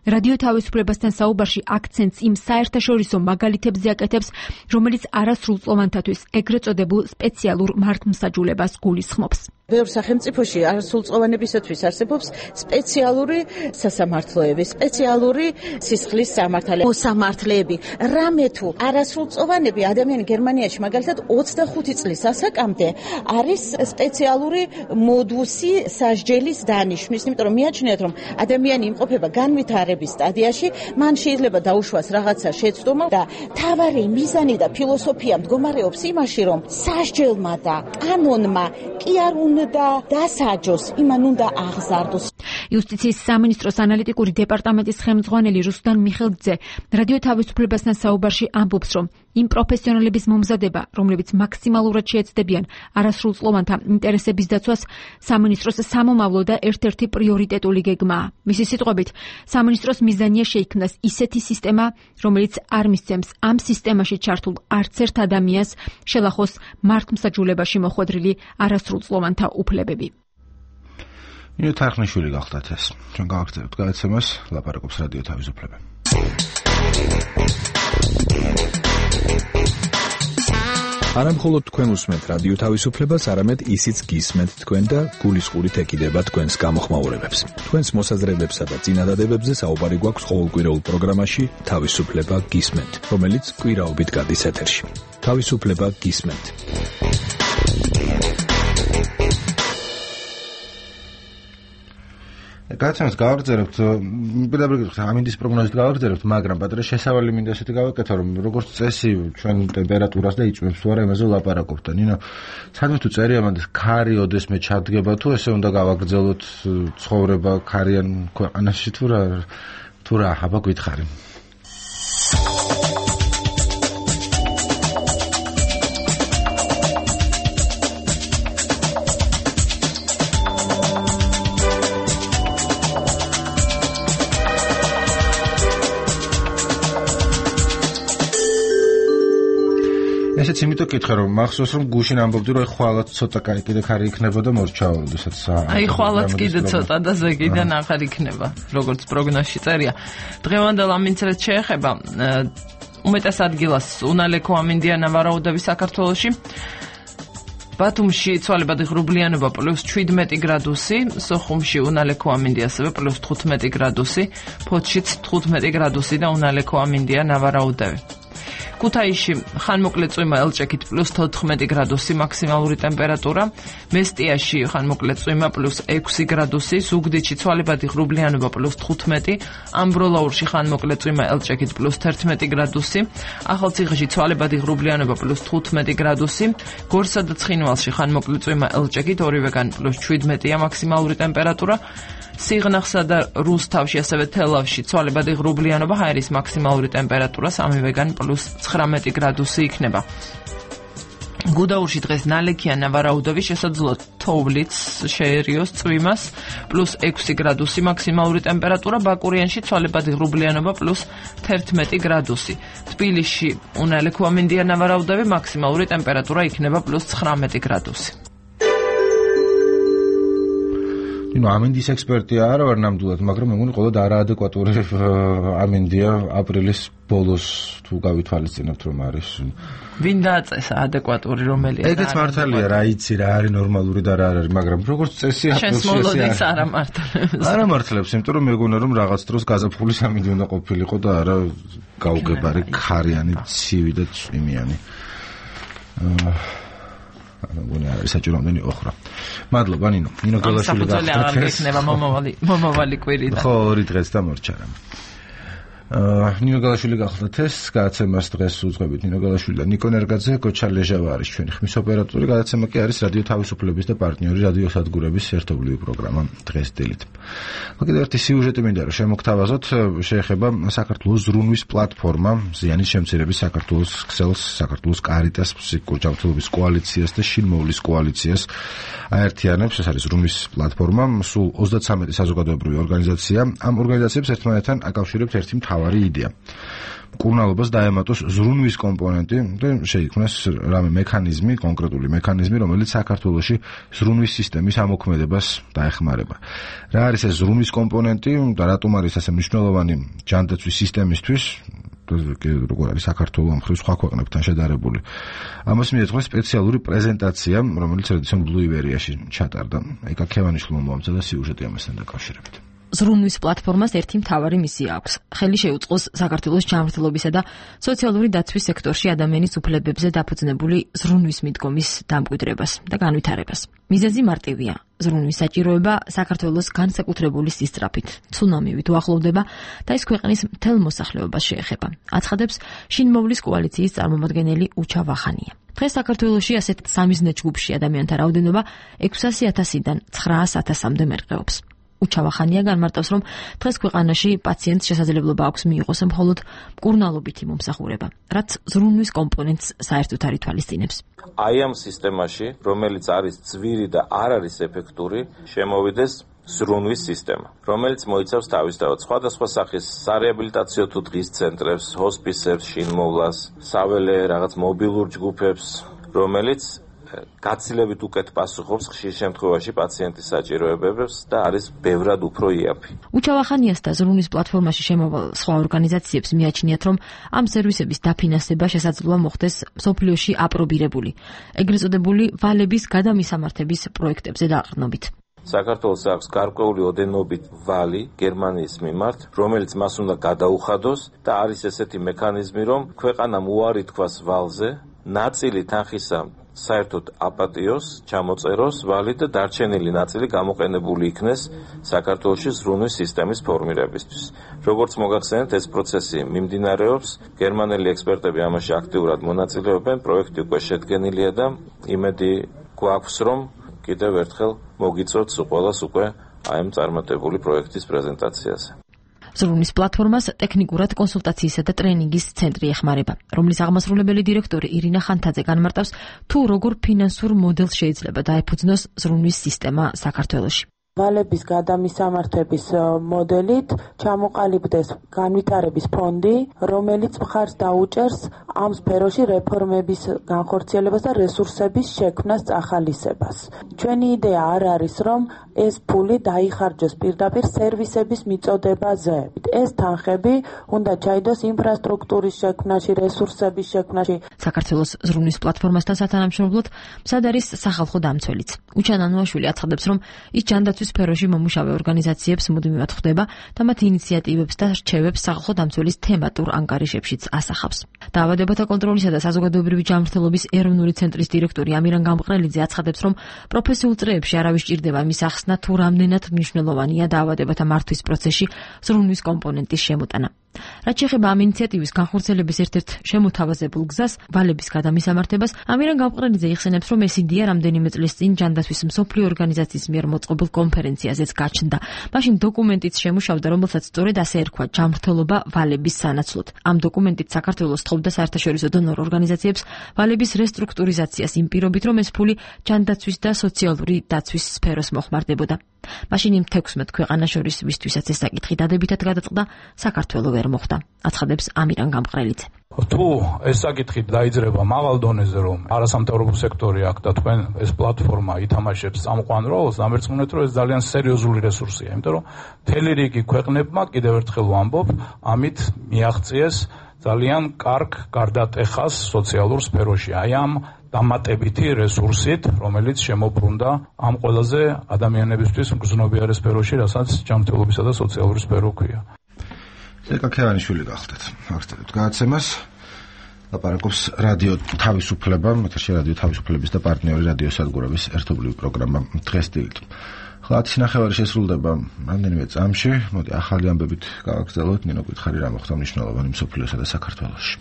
რადიო თავისუფლებასთან საუბარში აქცენტს იმ საერთაშორისო მაგალითებზე აკეთებს, რომელიც არასრულწლოვანთათვის ეგრეთ წოდებულ სპეციალურ მართლმსაჯულებას გულისხმობს. ბევრ სახელმწიფოში არასრულწლოვანებისათვის არსებობს სპეციალური სასამართლოები, სპეციალური სისხლის სამართალი, მოსამართლეები. რამე თუ არასრულწლოვანები ადამიანი გერმანიაში მაგალითად ოცდახუთი წლის ასაკამდე არის სპეციალური მოდუსი სასჯელის დანიშვნის, იმიტომ რომ მიაჩნიათ, რომ ადამიანი იმყოფება განვითარების სტადიაში, მან შეიძლება დაუშვას რაღაცა შეცდომა და თავარი მიზანი და ფილოსოფია მდგომარეობს იმაში, რომ სასჯელმა და კანონმა კი არ უნდა დასაჯოს, იმან უნდა აღზარდოს. იუსტიციის სამინისტროს ანალიტიკური დეპარტამენტის ხელმძღვანელი რუსლან მიხელძე რადიო თავისუფლებასთან საუბარში ამბობს, რომ იმ პროფესიონალების მომზადება, რომლებიც მაქსიმალურად შეეცდებიან არასრულწლოვანთა ინტერესების დაცვას, სამინისტროს სამომავლო და ერთ-ერთი პრიორიტეტული გეგმაა. მისი სიტყვებით, სამინისტროს მიზანია შეიქმნას ისეთი სისტემა, რომელიც არ მისცემს ამ სისტემაში ჩართულ არც ერთ ადამიანს შელახოს მართლმსაჯულებაში მოხვედრილი არასრულწლოვანთა უფლებები. ნინო თარხნიშვილი გახდათ ეს. ჩვენ გავაგრძელებთ გადაცემას, ლაპარაკობს რადიო თავისუფლება. არა მხოლოდ თქვენ უსმენთ რადიო თავისუფლებას, არამედ ისიც გისმენთ თქვენ და გულისყურით ეკიდება თქვენს გამოხმაურებებს. თქვენს მოსაზრებებსა და წინადადებებზე საუბარი გვაქვს ყოველკვირეულ პროგრამაში თავისუფლება გისმენთ, რომელიც კვირაობით გადის ეთერში. თავისუფლება გისმენთ. გადაცემას გავაგრძელებთ, პირდაპირ ამინდის პროგნოზით გავაგრძელებთ, მაგრამ პატრე შესავალი მინდა ესეთი გავაკეთო, რომ როგორც წესი ჩვენ ტემპერატურას და იწვევს თუ არა იმაზე ვლაპარაკობთ და ნინო, სადმე თუ წერია მანდეს ქარი ოდესმე ჩადგება თუ ესე უნდა გავაგრძელოთ ცხოვრება ქარიან ქვეყანაში თუ რა თუ რა აბა გითხარი. ესეც იმიტომ კითხე რომ მახსოვს რომ გუშინ ამბობდი რომ ხვალაც ცოტა კაი კიდე ხარი იქნება და მორჩაო როდესაც აი ხვალაც კიდე ცოტა და ზეგიდან ახალ იქნება როგორც პროგნოზში წერია დღევანდელ ამინცრეთ შეეხება უმეტეს ადგილას უნალეკო ამინდია ნავარაუდები საქართველოში ბათუმში ცვალებადი ღრუბლიანობა პლუს შვიდმეტი გრადუსი, სოხუმში უნალეკო ამინდია ასევე პლუს თხუთმეტი გრადუსი, ფოთშიც თხუთმეტი გრადუსი და უნალეკო ამინდია ნავარაუდები. ქუთაისში ხანმოკლე წვიმა ელჭექით პლუს თოთხმეტი გრადუსი მაქსიმალური ტემპერატურა, მესტიაში ხანმოკლე წვიმა პლუს ექვსი გრადუსი, ზუგდიდში ცვალებადი ღრუბლიანობა პლუს თხუთმეტი, ამბროლაურში ხანმოკლე წვიმა ელჭექით პლუს თერთმეტი გრადუსი, ახალციხეში ცვალებადი ღრუბლიანობა პლუს თხუთმეტი გრადუსი, გორსა და ცხინვალში ხანმოკლე წვიმა ელჭექით ორივეგან პლუს შვიდმეტია მაქსიმალური ტემპერატურა, სიღნაღსა და რუსთავში ასევე თელავში ცვალებადი ღრუბლიანობა, ჰაერის მაქსიმალური ტემპერატურა სამივეგან პლუს ცხრამეტი გრადუსი იქნება. გუდაურში დღეს ნალექია ნავარაუდები, შესაძლოა თოვლიც შეერიოს წვიმას, პლუს ექვსი გრადუსი მაქსიმალური ტემპერატურა, ბაკურიანში ცვალებადი ღრუბლიანობა პლუს თერთმეტი გრადუსი. თბილისში უნალეკო ამინდია ნავარაუდები, მაქსიმალური ტემპერატურა იქნება პლუს ცხრამეტი გრადუსი. ნუ ამინდის ექსპერტია არა ვარ ნამდვილად, მაგრამ მეგონი ყოველდღე არაადეკვატური ამინდია აპრილის ბოლოს თუ გავითვალისწინებთ რომ არის. ვინ დააწესა ადეკვატური რომელია? ეგეც მართალია, რა იცი რა არის ნორმალური და რა არ არის, მაგრამ როგორც წესი აპრილში შემოვლოდით არ ამართლებს. არ ამართლებს, იმიტომ რომ მეგონა რომ რაღაც დროს გაზაფხულის ამინდი უნდა ყოფილიყო და არა გაუგებარი ქარიანი, ცივი და წვიმიანი. მეგონა არის საჭირო მომდენი ოხრა. მადლობა ნინო. ნინო გელაშვილი გახდათ. აღარ გექნება მომავალი მომავალი კვირიდან. ხო, ორი დღეც დამორჩა რა. ნინო გალაშვილი გახლდათ ეს გადაცემას დღეს უძღვებით ნინო გალაშვილი და ნიკო ნერგაძე, გოჩა ლეჟავა არის ჩვენი ხმის ოპერატორი. გადაცემა კი არის რადიო თავისუფლების და პარტნიორი რადიო სადგურების ერთობლივი პროგრამა დღეს დილით. კიდევ ერთი სიუჟეტი მინდა რომ შემოგთავაზოთ, შეეხება საქართველოს ზრუნვის პლატფორმა ზიანის შემცირების საქართველოს ქსელს, საქართველოს კარიტას, ფსიქოჯანმრთელობის კოალიციას და შინმოვლის კოალიციას აერთიანებს. ეს არის ზრუნვის პლატფორმა, სულ ოცდათვრამეტი საზოგადოებრივი ორგანიზაცია. ამ ორგანიზაციებს ერთმანეთთან აკავშირებს ერთი მთავარი იდეა. მკურნალობას დაემატოს ზრუნვის კომპონენტი და შეიქმნას რამე მექანიზმი, კონკრეტული მექანიზმი, რომელიც საქართველოში ზრუნვის სისტემის ამოქმედებას დაეხმარება. რა არის ეს ზრუნვის კომპონენტი და რატომ არის ასე მნიშვნელოვანი ჯანდაცვის სისტემისთვის? როგორ არის საქართველოს ამ ხრივ სხვა ქვეყნებთან შედარებული. ამას მიეძღვნა სპეციალური პრეზენტაცია, რომელიც რედისონ ბლუ ივერიაში ჩატარდა. ეკა ქევანიშვილმა მოამზადა სიუჟეტი ამასთან დაკავშირებით. ზრუნვის პლატფორმას ერთი მთავარი მისია აქვს. ხელი შეუწყოს საქართველოს ჯანმრთელობისა და სოციალური დაცვის სექტორში ადამიანის უფლებებზე დაფუძნებული ზრუნვის მიდგომის დამკვიდრებას და განვითარებას. მიზეზი მარტივია. ზრუნვის საჭიროება საქართველოს განსაკუთრებული სისწრაფით, ცუნამივით უახლოვდება და ის ქვეყნის მთელ მოსახლეობას შეეხება. აცხადებს შინმოვლის კოალიციის წარმომადგენელი უჩა ვახანია. დღეს საქართველოში ასეთ სამიზნე ჯგუფში ადამიანთა რაოდენობა ექვსასი ათასიდან ცხრაას ათასამდე მერყეობს. უჩავახანია განმარტავს, რომ დღეს ქვეყანაში პაციენტს შესაძლებლობა აქვს მიიღოს მხოლოდ მკურნალობითი მომსახურება, რაც ზრუნვის კომპონენტს საერთოდ არ ითვალისწინებს. აი ამ სისტემაში, რომელიც არის ძვირი და არ არის ეფექტური, შემოვიდეს ზრუნვის სისტემა, რომელიც მოიცავს თავისთავად სხვადასხვა სახის სარეაბილიტაციო თუ დღის ცენტრებს, ჰოსპისებს, შინმოვლას, საველე რაღაც მობილურ ჯგუფებს, რომელიც გაცილებით უკეთ პასუხობს ხშირ შემთხვევაში პაციენტის საჭიროებებს და არის ბევრად უფრო იაფი. უჩავახანიას და ზრუნვის პლატფორმაში შემოვალ სხვა ორგანიზაციებს მიაჩნიათ, რომ ამ სერვისების დაფინანსება შესაძლოა მოხდეს მსოფლიოში აპრობირებული, ეგრეთ წოდებული ვალების გადამისამართების პროექტებზე დაყრდნობით. საქართველოს აქვს გარკვეული ოდენობით ვალი გერმანიის მიმართ, რომელიც მას უნდა გადაუხადოს და არის ესეთი მექანიზმი, რომ ქვეყანამ უარი თქვას ვალზე, ნაწილი თანხისა საერთოდ აპატიოს, ჩამოწეროს ვალი და დარჩენილი ნაწილი გამოყენებული იქნეს საქართველოში ზრუნვის სისტემის ფორმირებისთვის. როგორც მოგახსენეთ, ეს პროცესი მიმდინარეობს, გერმანელი ექსპერტები ამაში აქტიურად მონაწილეობენ, პროექტი უკვე შედგენილია და იმედი გვაქვს, რომ კიდევ ერთხელ მოგიწოდს ყველას უკვე აი ამ წარმატებული პროექტის პრეზენტაციაზე. ზრუნვის პლატფორმას ტექნიკურად კონსულტაციისა და ტრენინგის ცენტრი ეხმარება, რომლის აღმასრულებელი დირექტორი ირინა ხანთაძე განმარტავს, თუ როგორ ფინანსურ მოდელს შეიძლება დაეფუძნოს ზრუნვის სისტემა საქართველოში. ვალების გადამისამართების მოდელით ჩამოყალიბდეს განვითარების ფონდი, რომელიც მხარს დაუჭერს ამ სფეროში რეფორმების განხორციელებას და რესურსების შექმნას წახალისებას. ჩვენი იდეა არ არის, რომ ეს ფული დაიხარჯოს პირდაპირ სერვისების მიწოდებაზე. ეს თანხები უნდა ჩაიდოს ინფრასტრუქტურის შექმნაში, რესურსების შექმნაში. საქართველოს ზრუნვის პლატფორმასთან სათანამშრომლოდ მცად არის სახალხო დამცველიც. უჩა ნანუაშვილი აცხადებს, რომ ის ჯანდაცვის სფეროში მომუშავე ორგანიზაციებს მუდმივად ხვდება და მათ ინიციატივებს და რჩევებს სახალხო დამცველის თემატურ ანგარიშებშიც ასახავს. დაავადებათა კონტროლისა და საზოგადოებრივი ჯანმრთელობის ეროვნული ცენტრის დირექტორი ამირან გამყრელიძე აცხადებს, რომ პროფესიულ წრეებში არავის ჭირდება იმის ახსნა, თუ რამდენად მნიშვნელოვანია დაავადებათა მართვის პროცესში ზრუნვის კომპონენტის შემოტანა. რაც შეეხება ამ ინიციატივის განხორციელების ერთ-ერთ შემოთავაზებულ გზას, ვალების გადამისამართებას, ამირან გამყრელიძე იხსენებს, რომ ეს იდეა რამდენიმე წლის წინ ჯანდაცვის მსოფლიო ორგანიზაციის მიერ მოწყობილ კონფერენციაზეც გაჩნდა. მაშინ დოკუმენტიც შემუშავდა, რომელსაც სწორედ ასე ერქვა ჯანმრთელობა ვალების სანაცვლოდ. ამ დოკუმენტით საქართველოს თხოვდა საერთაშორისო დონორ ორგანიზაციებს ვალების რესტრუქტურიზაციას იმ პირობით, რომ ეს ფული ჯანდაცვის და სოციალური დაცვის სფეროს მოხმარდებოდა. მაშინ იმ თექვსმეტ ქვეყანას შორის, ვისთვისაც ეს საკითხი დადებითად გადაწყდა, საქართველო ვერ მოხვდა. აცხადებს ამირან გამყრელიძე. თუ ეს საკითხი დაიძრება მაღალ დონეზე, რომ არასამთავრობო სექტორი აქ და თქვენ ეს პლატფორმა ითამაშებს წამყვან როლს, ამერწმუნეთ, რომ ეს ძალიან სერიოზული რესურსია, იმიტომ რომ მთელი რიგი ქვეყნებმა, კიდევ ერთხელ ვამბობ, ამით მიაღწიეს ძალიან კარგ გარდატეხას სოციალურ სფეროში. აი ამ დამატებითი რესურსით, რომელიც შემოbrunდა ამ ყველაზე ადამიანებისთვის მგრძნობიარე სფეროში, რასაც ჯანმრთელობისა და სოციალური სფერო ქვია. ეკა ქევანიშვილი გახლდათ. აქცევთ გადაცემას. ლაპარაკობს რადიო თავისუფლება, ეთერში რადიო თავისუფლების და პარტნიორი რადიო სადგურების ერთობლივი პროგრამა დღეს დილით. ხლა ათი ნახევარი შესრულდება რამდენიმე წამში. მოდი ახალი ამბებით გავაგრძელოთ. ნინო გითხარი რა მოხდა მნიშვნელოვანი მსოფლიოსა და საქართველოში.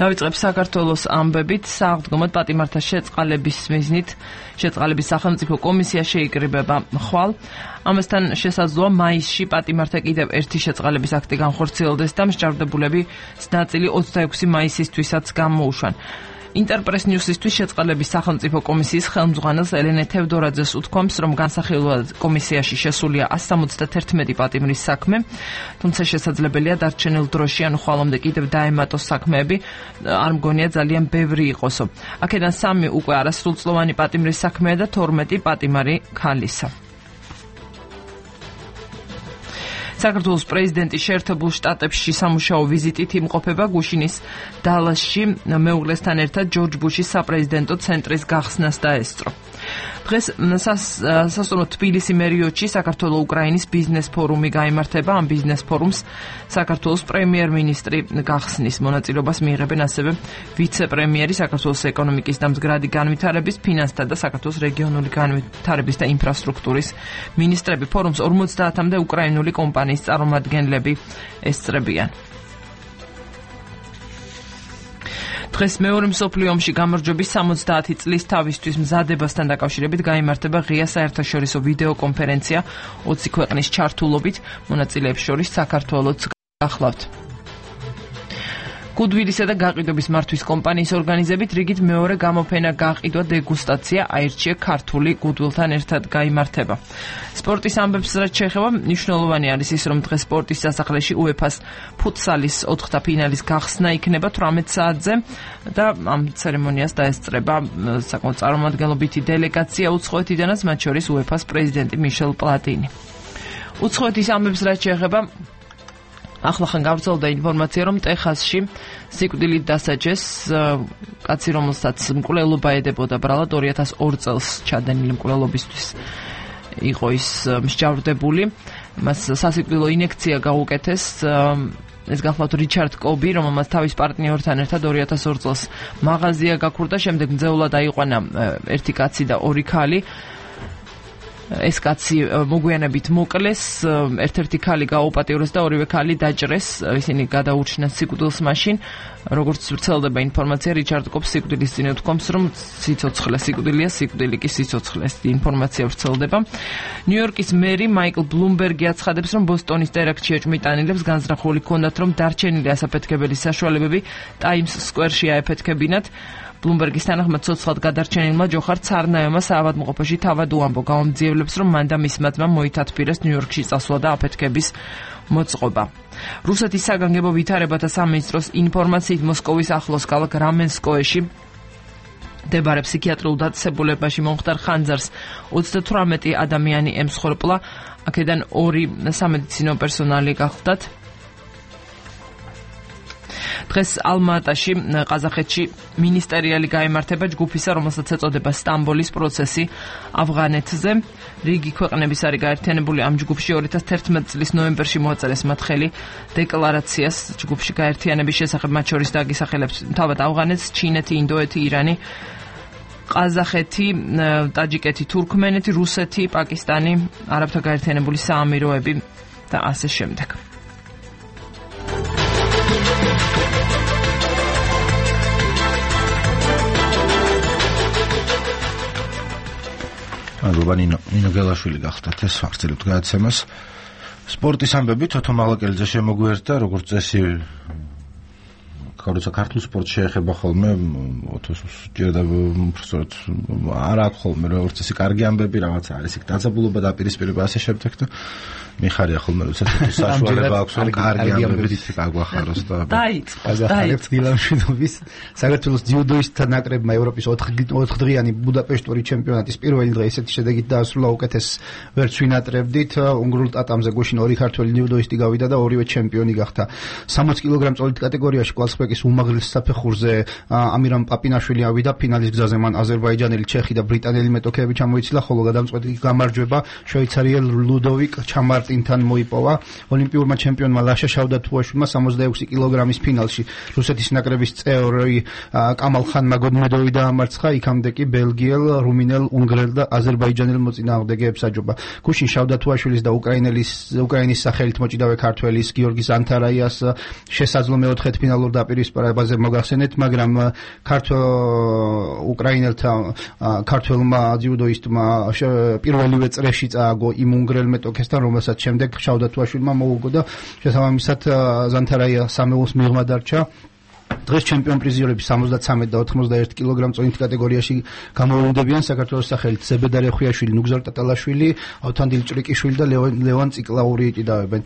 დავიწყებ საქართველოს ამბებით. სააღდგომოდ პატიმართა შეწყალების მიზნით შეწყალების სახელმწიფო კომისია შეიკრიბება ხვალ. ამასთან შესაძლოა მაისში პატიმართა კიდევ ერთი შეწყალების აქტი განხორციელდეს და მსჯავრდებულები ნაწილი ოცდაექვსი მაისისთვისაც გამოუშვან. ინტერპრეს ნიუსისთვის შეწყალების სახელმწიფო კომისიის ხელმძღვანელს ელენე თევდორაძეს უთქვამს, რომ განსახილველად კომისიაში შესულია ასი სამოცდაერთმეტი პატიმრის საქმე, თუმცა შესაძლებელია დარჩენილ დროში, ანუ ხვალამდე კიდევ დაემატოს საქმეები, არ მგონია ძალიან ბევრი იყოსო. აქედან სამი უკვე არასრულწლოვანი პატიმრის საქმეა და თორმეტი პატიმარი ქალისა. საქართველოს პრეზიდენტი შეერთებულ შტატებში სამუშაო ვიზიტით იმყოფება. გუშინის დალასში მეუღლესთან ერთად ჯორჯ ბუშის საპრეზიდენტო ცენტრის გახსნას დაესწრო. დღეს სასწორო თბილისი მერიოტში საქართველო-უკრაინის ბიზნეს ფორუმი გაიმართება. ამ ბიზნეს ფორუმს საქართველოს პრემიერ-მინისტრი გახსნის. მონაწილეობას მიიღებენ ასევე ვიცე-პრემიერი, საქართველოს ეკონომიკის და მზგრადი განვითარების, ფინანსთა და საქართველოს რეგიონული განვითარების და ინფრასტრუქტურის მინისტრები. ფორუმს ორმოცდაათამდე უკრაინული კომპანიის წარმომადგენლები ესწრებიან. დღეს მეორე მსოფლიო ომში გამარჯვების სამოცდაათი წლის თავისთვის მზადებასთან დაკავშირებით გაიმართება ღია საერთაშორისო ვიდეო კონფერენცია ოცი ქვეყნის ჩართულობით, მონაწილეებს შორის საქართველოც გახლავთ. გუდვილისა და გაყიდვების მართვის კომპანიის ორგანიზებით რიგით მეორე გამოფენა გაყიდვა დეგუსტაცია აირჩიე ქართული გუდვილთან ერთად გაიმართება. სპორტის ამბებს რაც შეეხება, მნიშვნელოვანი არის ის, რომ დღეს სპორტის სასახლეში უეფას ფუტსალის ოთხთა ფინალის გახსნა იქნება თვრამეტ საათზე და ამ ცერემონიას დაესწრება საკმაოდ წარმომადგენლობითი დელეგაცია უცხოეთიდანაც, მათ შორის უეფას პრეზიდენტი მიშელ პლატინი. უცხოეთის ამბებს რაც შეეხება, ახლახან გავრცელდა ინფორმაცია, რომ ტეხასში სიკვდილით დასაჯეს კაცი, რომელსაც მკვლელობა ედებოდა ბრალად ორი ათას ორი წელს ჩადენილი მკვლელობისთვის იყო ის მსჯავრდებული. მას სასიკვდილო ინექცია გაუკეთეს. ეს გახლავთ რიჩარდ კობი, რომელმაც თავის პარტნიორთან ერთად ორი ათას ორი წელს მაღაზია გაქურდა, შემდეგ მძევლად აიყვანა ერთი კაცი და ორი ქალი. ეს კაცი მოგვიანებით მოკლეს, ერთ-ერთი ქალი გააუპატიურეს და ორივე ქალი დაჭრეს. ისინი გადაურჩნენ სიკვდილს მაშინ. როგორც ვრცელდება ინფორმაცია, რიჩარდ კობს სიკვდილის წინ უთქვამს, რომ სიცოცხლე სიკვდილია, სიკვდილი კი სიცოცხლე. ეს ინფორმაცია ვრცელდება. ნიუ-იორკის მერი მაიკლ ბლუმბერგი აცხადებს, რომ ბოსტონის ტერაქტში ეჭვმიტანილებს განზრახული ჰქონდათ, რომ დარჩენილი ასაფეთქებელი საშუალებები ტაიმს სკვერში აეფეთქებინათ. ბლუმბერგის თანახმად ცოცხლად გადარჩენილმა ჯოხარ ცარნაევმა საავადმყოფოში თავად უამბო გამომძიებლებს, რომ მან და მისმა ძმამ მოითათბირეს ნიუ-იორკში წასვლა და აფეთქების მოწყობა. რუსეთის საგანგებო ვითარებათა სამინისტროს ინფორმაციით მოსკოვის ახლოს ქალაქ რამენსკოეში მდებარე ფსიქიატრიულ დაწესებულებაში მომხდარ ხანძარს ოცდათვრამეტი ადამიანი ემსხვერპლა, აქედან ორი სამედიცინო პერსონალი გახლდათ. დღეს ალმა-ატაში, ყაზახეთში მინისტერიალი გაიმართება ჯგუფისა, რომელსაც ეწოდება სტამბოლის პროცესი ავღანეთზე. რიგი ქვეყნების არის გაერთიანებული ამ ჯგუფში. ორი ათას თერთმეტი წლის ნოემბერში მოაწერეს მათ ხელი დეკლარაციას ჯგუფში გაერთიანების შესახებ, მათ შორის დაგისახელებთ თავად ავღანეთს, ჩინეთი, ინდოეთი, ირანი, ყაზახეთი, ტაჯიკეთი, თურქმენეთი, რუსეთი, პაკისტანი, არაბთა გაერთიანებული საამიროები და ასე შემდეგ. მადლობა ნინო. ნინო გელაშვილი გახდათ ეს ვახცელებთ გადაცემას. სპორტის ამბები თოთო მაღლაკელიძე შემოგვიერთდა, როგორც წესი როცა ქართულ სპორტს შეეხება ხოლმე ოთოს ჯერდა უბრალოდ არ აქვს ხოლმე როგორც წესი კარგი ამბები, რაღაც არის იქ დაძაბულობა და პირისპირება ასე შემდეგ და მიხარია ხოლმე როცა საშუალება აქვს რომ კარგი ამბები გაგვახაროს და დაიწყოს დილამშვიდობის საქართველოს ძიუდოისტთა ნაკრებმა ევროპის ოთხ დღიანი ბუდაპეშტური ჩემპიონატის პირველი დღე ესეთი შედეგით დაასრულა, უკეთეს ვერც ვინატრებდით. უნგრულ ტატამზე გუშინ ორი ქართველი ძიუდოისტი გავიდა და ორივე ჩემპიონი გახდა. სამოცი კილოგრამ წოლით კატეგორიაში კვალსპეკ ლაპარაკის უმაღლეს საფეხურზე ამირამ პაპინაშვილი ავიდა ფინალის გზაზე, მან აზერბაიჯანელი, ჩეხი და ბრიტანელი მეტოქეები ჩამოიცილა, ხოლო გადამწყვეტი გამარჯვება შვეიცარიელ ლუდოვიკ ჩამარტინთან მოიპოვა. ოლიმპიურმა ჩემპიონმა ლაშა შავდათუაშვილმა სამოცდაექვსი კილოგრამის ფინალში რუსეთის ნაკრების წევრი კამალ ხანმა გოდმედოვი დაამარცხა, იქამდე კი ბელგიელ, რუმინელ, უნგრელ და აზერბაიჯანელ მოწინააღმდეგეებს აჯობა. გუშინ შავდათუაშვილის და უკრაინელის უკრაინის სახელით მოჭიდავე ქართველის გიორგი ზანთარაიას შესაძლო მეოთხედ ფინალურ დაპირისპირებაზე მოგახსენეთ, მაგრამ ქართველ უკრაინელთა ქართველმა ძიუდოისტმა პირველივე წრეში წააგო იმ უნგრელ მეტოქესთან, რომელსაც შემდეგ შავდათუაშვილმა მოუგო და შესაბამისად ზანთარაია სამეულს მიღმა დარჩა. დღეს ჩემპიონ პრიზიორები სამოცდათრამეტ და ოთხმოცდაერთი კილოგრამ წონით კატეგორიაში გამოვლინდებიან საქართველოს სახელით ზებედარ ეხვიაშვილი, ნუგზარ ტატალაშვილი, ავთანდილ ჭრიკიშვილი და ლევან ციკლაური იტიდავენ.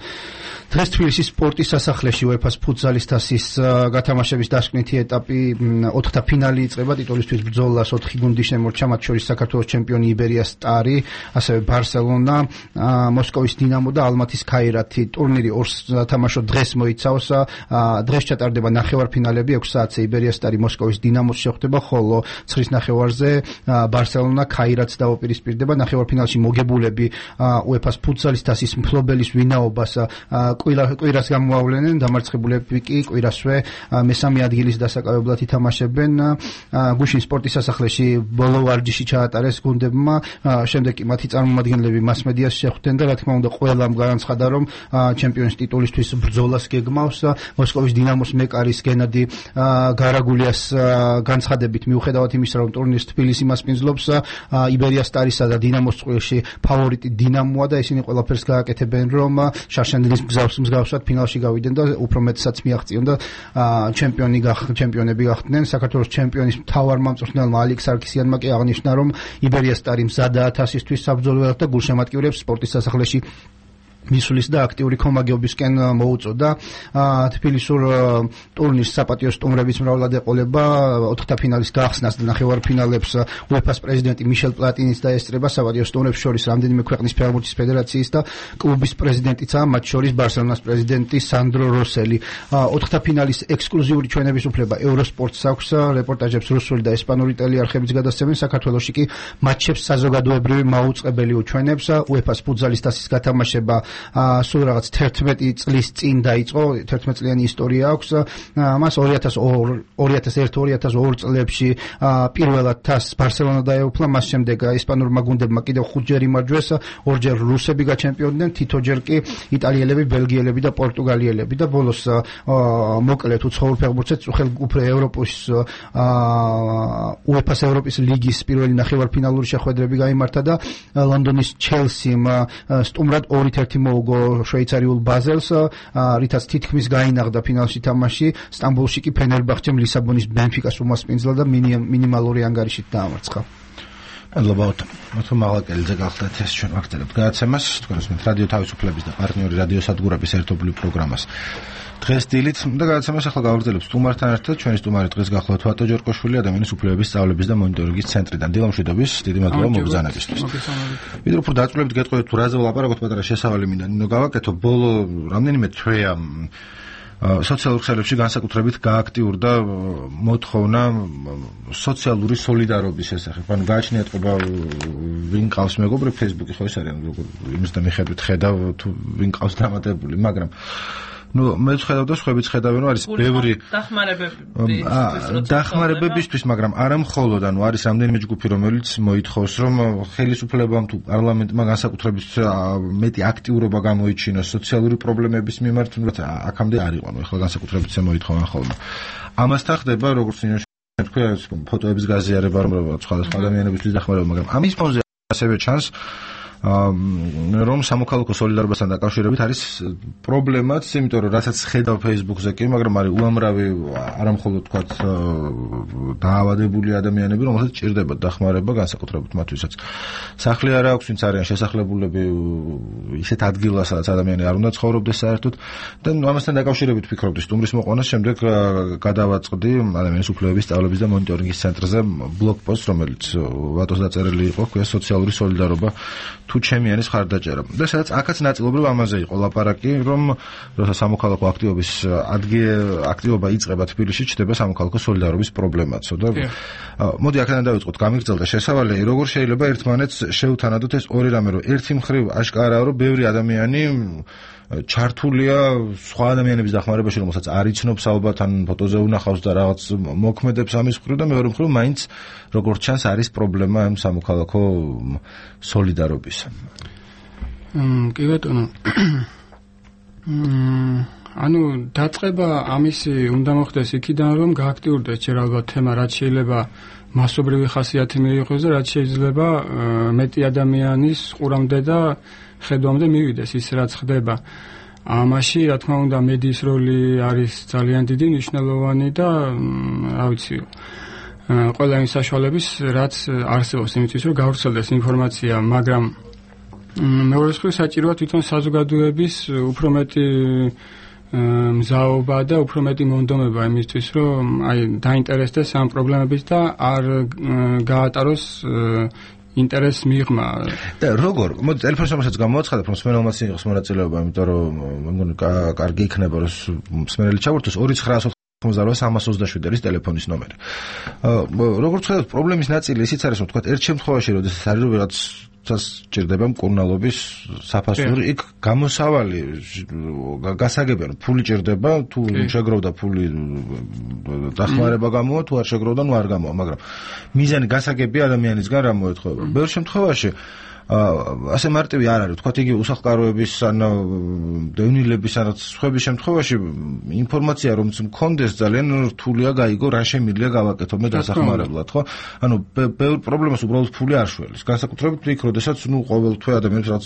დღეს თბილისის სპორტის სასახლეში უეფა-ს ფუტზალის თასის გათამაშების დასკვნითი ეტაპი ოთხთა ფინალი იწყება. ტიტულისთვის ბრძოლას ოთხი გუნდი შემორჩა, მათ შორის საქართველოს ჩემპიონი იბერია სტარი, ასევე ბარსელონა, მოსკოვის დინამო და ალმათის ქაირათი. ტურნირი ორ სათამაშო დღეს მოიცავს. დღეს ჩატარდება ნახევარფინალი ექვს საათზე იბერია სტარი მოსკოვის დინამოს შეხვდება, ხოლო ცხრის ნახევარზე ბარსელონა ქაირათს დაუპირისპირდება. ნახევარფინალში მოგებულები უეფა-ს ფუტზალის თასის მფლობელის ვინაობას კვირას გამოავლენენ, დამარცხებულები კი კვირასვე მესამე ადგილის დასაკავებლად ითამაშებენ. გუშინ სპორტის სასახლეში ბოლო ვარჯიში ჩაატარეს გუნდებმა, შემდეგ კი მათი წარმომადგენლები მასმედიას შეხვდნენ და რა თქმა უნდა ყველამ განაცხადა, რომ ჩემპიონის ტიტულისთვის ბრძოლას გეგმავს. მოსკოვის დინამოს მეკარის გენადი გარაგულიას განცხადებით, მიუხედავად იმისა, რომ ტურნირს თბილისი მასპინძლობს, იბერია სტარისა და დინამოს წყვილში ფავორიტი დინამოა და ისინი ყველაფერს გააკეთებენ, რომ შარშანილის მგზავს მსგავსად ფინალში გავიდნენ და უფრო მეტსაც მიაღწიონ და ჩემპიონი ჩემპიონები გახდნენ. საქართველოს ჩემპიონის მთავარ მამწვრთნელმა ალიქ სარქისიანმა კი აღნიშნა, რომ იბერია სტარი მზადაა თასისთვის საბრძოლველად და გულშემატკივრებს სპორტის სასახლეში მისulis და აქტიური კომაგეობისკენ მოუწოდა. თბილისურ ტურნირს საპატიო სტუმრების მრავლად ეყოლება. ოთხთა ფინალის გახსნას და ნახევარფინალებს უეფა-ს პრეზიდენტი მიშელ პლატინიც დაესწრება. საპატიო სტუმრებს შორის რამდენიმე ქვეყნის ფეხბურთის ფედერაციის და კლუბის პრეზიდენტიცაა, მათ შორის ბარსელონას პრეზიდენტი სანდრო როსელი. ოთხთა ფინალის ექსკლუზიური ჩვენების უფლება ევროსპორტს აქვს. რეპორტაჟებს რუსული და ესპანური ტელეარხებიც გადასცემენ. საქართველოში კი მატჩებს საზოგადოებრივი მაუწყებელი უჩვენებს. უეფა-ს ფუტზალის თასის გათამაშება სულ რაღაც თერთმეტი წლის წინ დაიწყო, თერთმეტი წლიანი ისტორია აქვს. მას ორი ათას ერთ ორი ათას ორ წლებში პირველად თასს ბარსელონა დაეუფლა, მას შემდეგ ესპანურმა გუნდებმა კიდევ ხუთჯერ იმარჯვეს, ორჯერ რუსები გაჩემპიონდნენ, თითოჯერ კი იტალიელები, ბელგიელები და პორტუგალიელები და ბოლოს მოკლედ უცხოურ ფეხბურთშიც უხელგუფრ ევროპის უეფა-ს ევროპის ლიგის პირველი ნახევარფინალური შეხვედრები გაიმართა და ლონდონის ჩელსიმ სტუმრად ორი ერთი მოუგო შვეიცარიულ ბაზელს, რითაც თითქმის გაინაღდა ფინალში თამაში. სტამბოლში კი ფენერბახჩემ ლისაბონის ბენფიკას უმასპინძლა და მინიმალური ანგარიშით დაამარცხა. მადლობთ. მოთო მაღალკელიძე გახლდათ ეს ჩვენ ვაგრძელებთ გადაცემას. თქვენ უსმენთ რადიო თავისუფლების და პარტნიორი რადიო სადგურების ერთობლივ პროგრამას. დღეს დილით და გადაცემას ახლა გავაგრძელებთ სტუმართან ერთად. ჩვენი სტუმარი დღეს გახლავთ ვატო ჯორკოშვილი, ადამიანის უფლებების სწავლების და მონიტორინგის ცენტრიდან. დილამშვიდობის, დიდი მადლობა მოგზაურობისთვის. ვიდრე უფრო დაწვრილებით გეტყვით თუ რაზე ვლაპარაკობთ, პატარა შესავალი მინდა ნინო გავაკეთო. ბოლო რამდენიმე თვეა სოციალურ ქსელებში განსაკუთრებით გააქტიურდა მოთხოვნა სოციალური სოლიდარობის შესახებ. ანუ გააჩნია ეთყობა ვინ ყავს მეგობრი Facebook-ი ხო ეს არის, იმის და მიხედვით ხედავ თუ ვინ ყავს დამატებული, მაგრამ ну მე ვხედავ და სხვაებიც ხედავენ, რომ არის ბევრი დახმარებებისთვის, მაგრამ არა მხოლოდ, ანუ არის რამდენიმე ჯგუფი, რომელიც მოითხოვს, რომ ხელისუფლებამ თუ პარლამენტმა განსაკუთრებით მეტი აქტიურობა გამოიჩინოს სოციალური პრობლემების მიმართ, აქამდე არ იყო, ანუ ახლა განსაკუთრებით მოითხოვენ ხოლმე. ამასთან ხდება, როგორც თქვა, ფოტოების გაზიარება, რომ სხვადასხვა ადამიანებისთვის დახმარება, მაგრამ ამის ფონზე ასევე ჩანს რომ სამოქალაქო სოლიდარობასთან დაკავშირებით არის პრობლემაც, იმიტომ რომ რასაც ხედავ Facebook-ზე კი, მაგრამ არის უამრავი არამხოლოდ თქვა დაავადებული ადამიანები, რომელსაც ჭირდება დახმარება, განსაკუთრებით მათთვისაც სახლი არ აქვს, ვინც არიან შესახლებულები ისეთ ადგილას, სადაც ადამიანი არ უნდა ცხოვრობდეს საერთოდ და ამასთან დაკავშირებით ვფიქრობდი სტუმრის მოყვანას, შემდეგ გადავაწყდი ადამიანის უფლებების სწავლების და მონიტორინგის ცენტრზე ბლოგ პოსტს, რომელიც ვატოს დაწერილი იყო, ქვია სოციალური სოლიდარობა თუ ჩემი არის ხარდაჭერა. და სადაც აქაც ნაწილობრივ ამაზე იყო ლაპარაკი, რომ როცა სამოქალაქო აქტივობის ადგილ აქტივობა იწყება თბილისში, ჩდება სამოქალაქო სოლიდარობის პრობლემაცო და მოდი აქედან დავიწყოთ, გამიგრძელდა შესავალი, როგორ შეიძლება ერთმანეთს შევთანადოთ ეს ორი რამე, რომ ერთი მხრივ აშკარაა, რომ ბევრი ადამიანი ჩართულია სხვა ადამიანების დახმარებაში, რომელსაც არ იცნობს ალბათ, ან ფოტოზე უნახავს და რაღაც მოქმედებს ამის მხრივ და მეორე მხრივ მაინც როგორც ჩანს არის პრობლემა ამ სამოქალაქო სოლიდარობისა. კი ბატონო. ანუ დაწყება ამისი უნდა მოხდეს იქიდან, რომ გააქტიურდეს ჯერ ალბათ თემა, რაც შეიძლება მასობრივი ხასიათი მიიღოს და რაც შეიძლება მეტი ადამიანის ყურამდე და ხედვამდე მივიდეს ის რაც ხდება. ამაში რა თქმა უნდა მედიის როლი არის ძალიან დიდი, მნიშვნელოვანი და რა ვიცი ყველა იმ საშუალების რაც არსებობს იმისთვის რომ გავრცელდეს ინფორმაცია, მაგრამ მეორე მხრივ საჭიროა თვითონ საზოგადოების უფრო მეტი მზაობა და უფრო მეტი მონდომება იმისთვის რომ აი დაინტერესდეს ამ პრობლემებით და არ გაატაროს ინტერესს მიღმა. და როგორ? მოდი ტელეფონის ნომერსაც გამოაცხადებ, რომ მსმენელმაც იყოს მონაწილეობა, იმიტომ რომ მეგონი კარგი იქნება, რომ მსმენელი ჩავართოს ორი ცხრა ოცდაოთხ სამას ოცდაშვიდი არის ტელეფონის ნომერი. როგორც ხედავთ, პრობლემის ნაწილი ისიც არის, რომ თქვა ერთ შემთხვევაში, როდესაც არის რომ ვიღაც ჭირდება მკურნალობის საფასური, იქ გამოსავალი გასაგებია, ფული ჭირდება, თუ შეგროვდა ფული დახმარება გამოვა, თუ არ შეგროვდა, ნუ არ გამოვა, მაგრამ მიზანი გასაგებია ადამიანისგან რა მოეთხოვება. ბევრ შემთხვევაში ასე მარტივი არ არის, თქვათ იგი უსახლკაროების ან დევნილების ან სხვების შემთხვევაში ინფორმაცია რომ მქონდეს ძალიან რთულია გაიგო რა შემიძლია გავაკეთო მე დასახმარებლად, ხო? ანუ ბევრ პრობლემას უბრალოდ ფული არ შველის. განსაკუთრებით იქ, როდესაც ნუ ყოველთვე ადამიანს რაც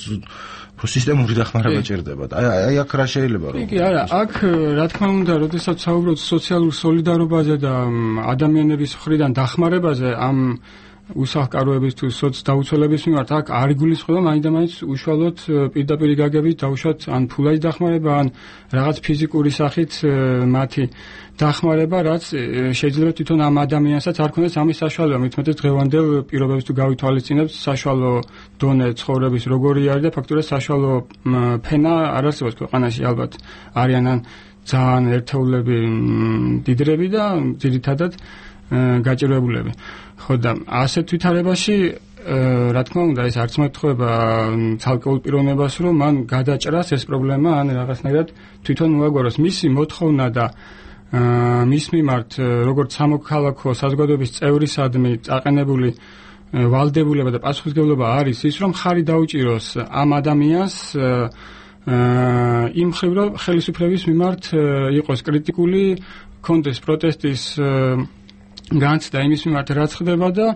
სისტემური დახმარება ჭირდება. აი აი აქ რა შეიძლება რომ? კი, არა, აქ რა თქმა უნდა, როდესაც საუბრობთ სოციალურ სოლიდარობაზე და ადამიანების მხრიდან დახმარებაზე ამ უსახლკაროების თუ სოცდაუცველების მიმართ აქ არ იგულისხმება მაინდამაინც უშუალოდ პირდაპირ გაგებით დაუშვათ ან ფულაი დახმარება ან რაღაც ფიზიკური სახით მათი დახმარება, რაც შეიძლება თვითონ ამ ადამიანსაც არ ქონდეს ამის საშუალება, მithumetes დღევანდელ პირობებს თუ გავითვალისწინებთ საშუალო დონე ცხოვრების როგორი არის და ფაქტურად საშუალო ფენა არ არსებობს ქვეყანაში, ალბათ არიან ან ძალიან ერთეულები დიდრები და ძირითადად გაჭირვებულები. ხო და ასეთ ვითარებაში რა თქმა უნდა ეს არც მოეთხოვება ცალკეულ პიროვნებას რომ მან გადაჭრას ეს პრობლემა ან რაღაცნაირად თვითონ მოაგვაროს. მისი მოთხოვნა და მის მიმართ როგორც სამოქალაქო საზოგადოების წევრისადმი წაყენებული ვალდებულება და პასუხისმგებლობა არის ის რომ ხარი დაუჭიროს ამ ადამიანს იმ მხრივ რომ ხელისუფლების მიმართ იყოს კრიტიკული, კონდეს პროტესტის განცდა იმის მიმართ რაც ხდება და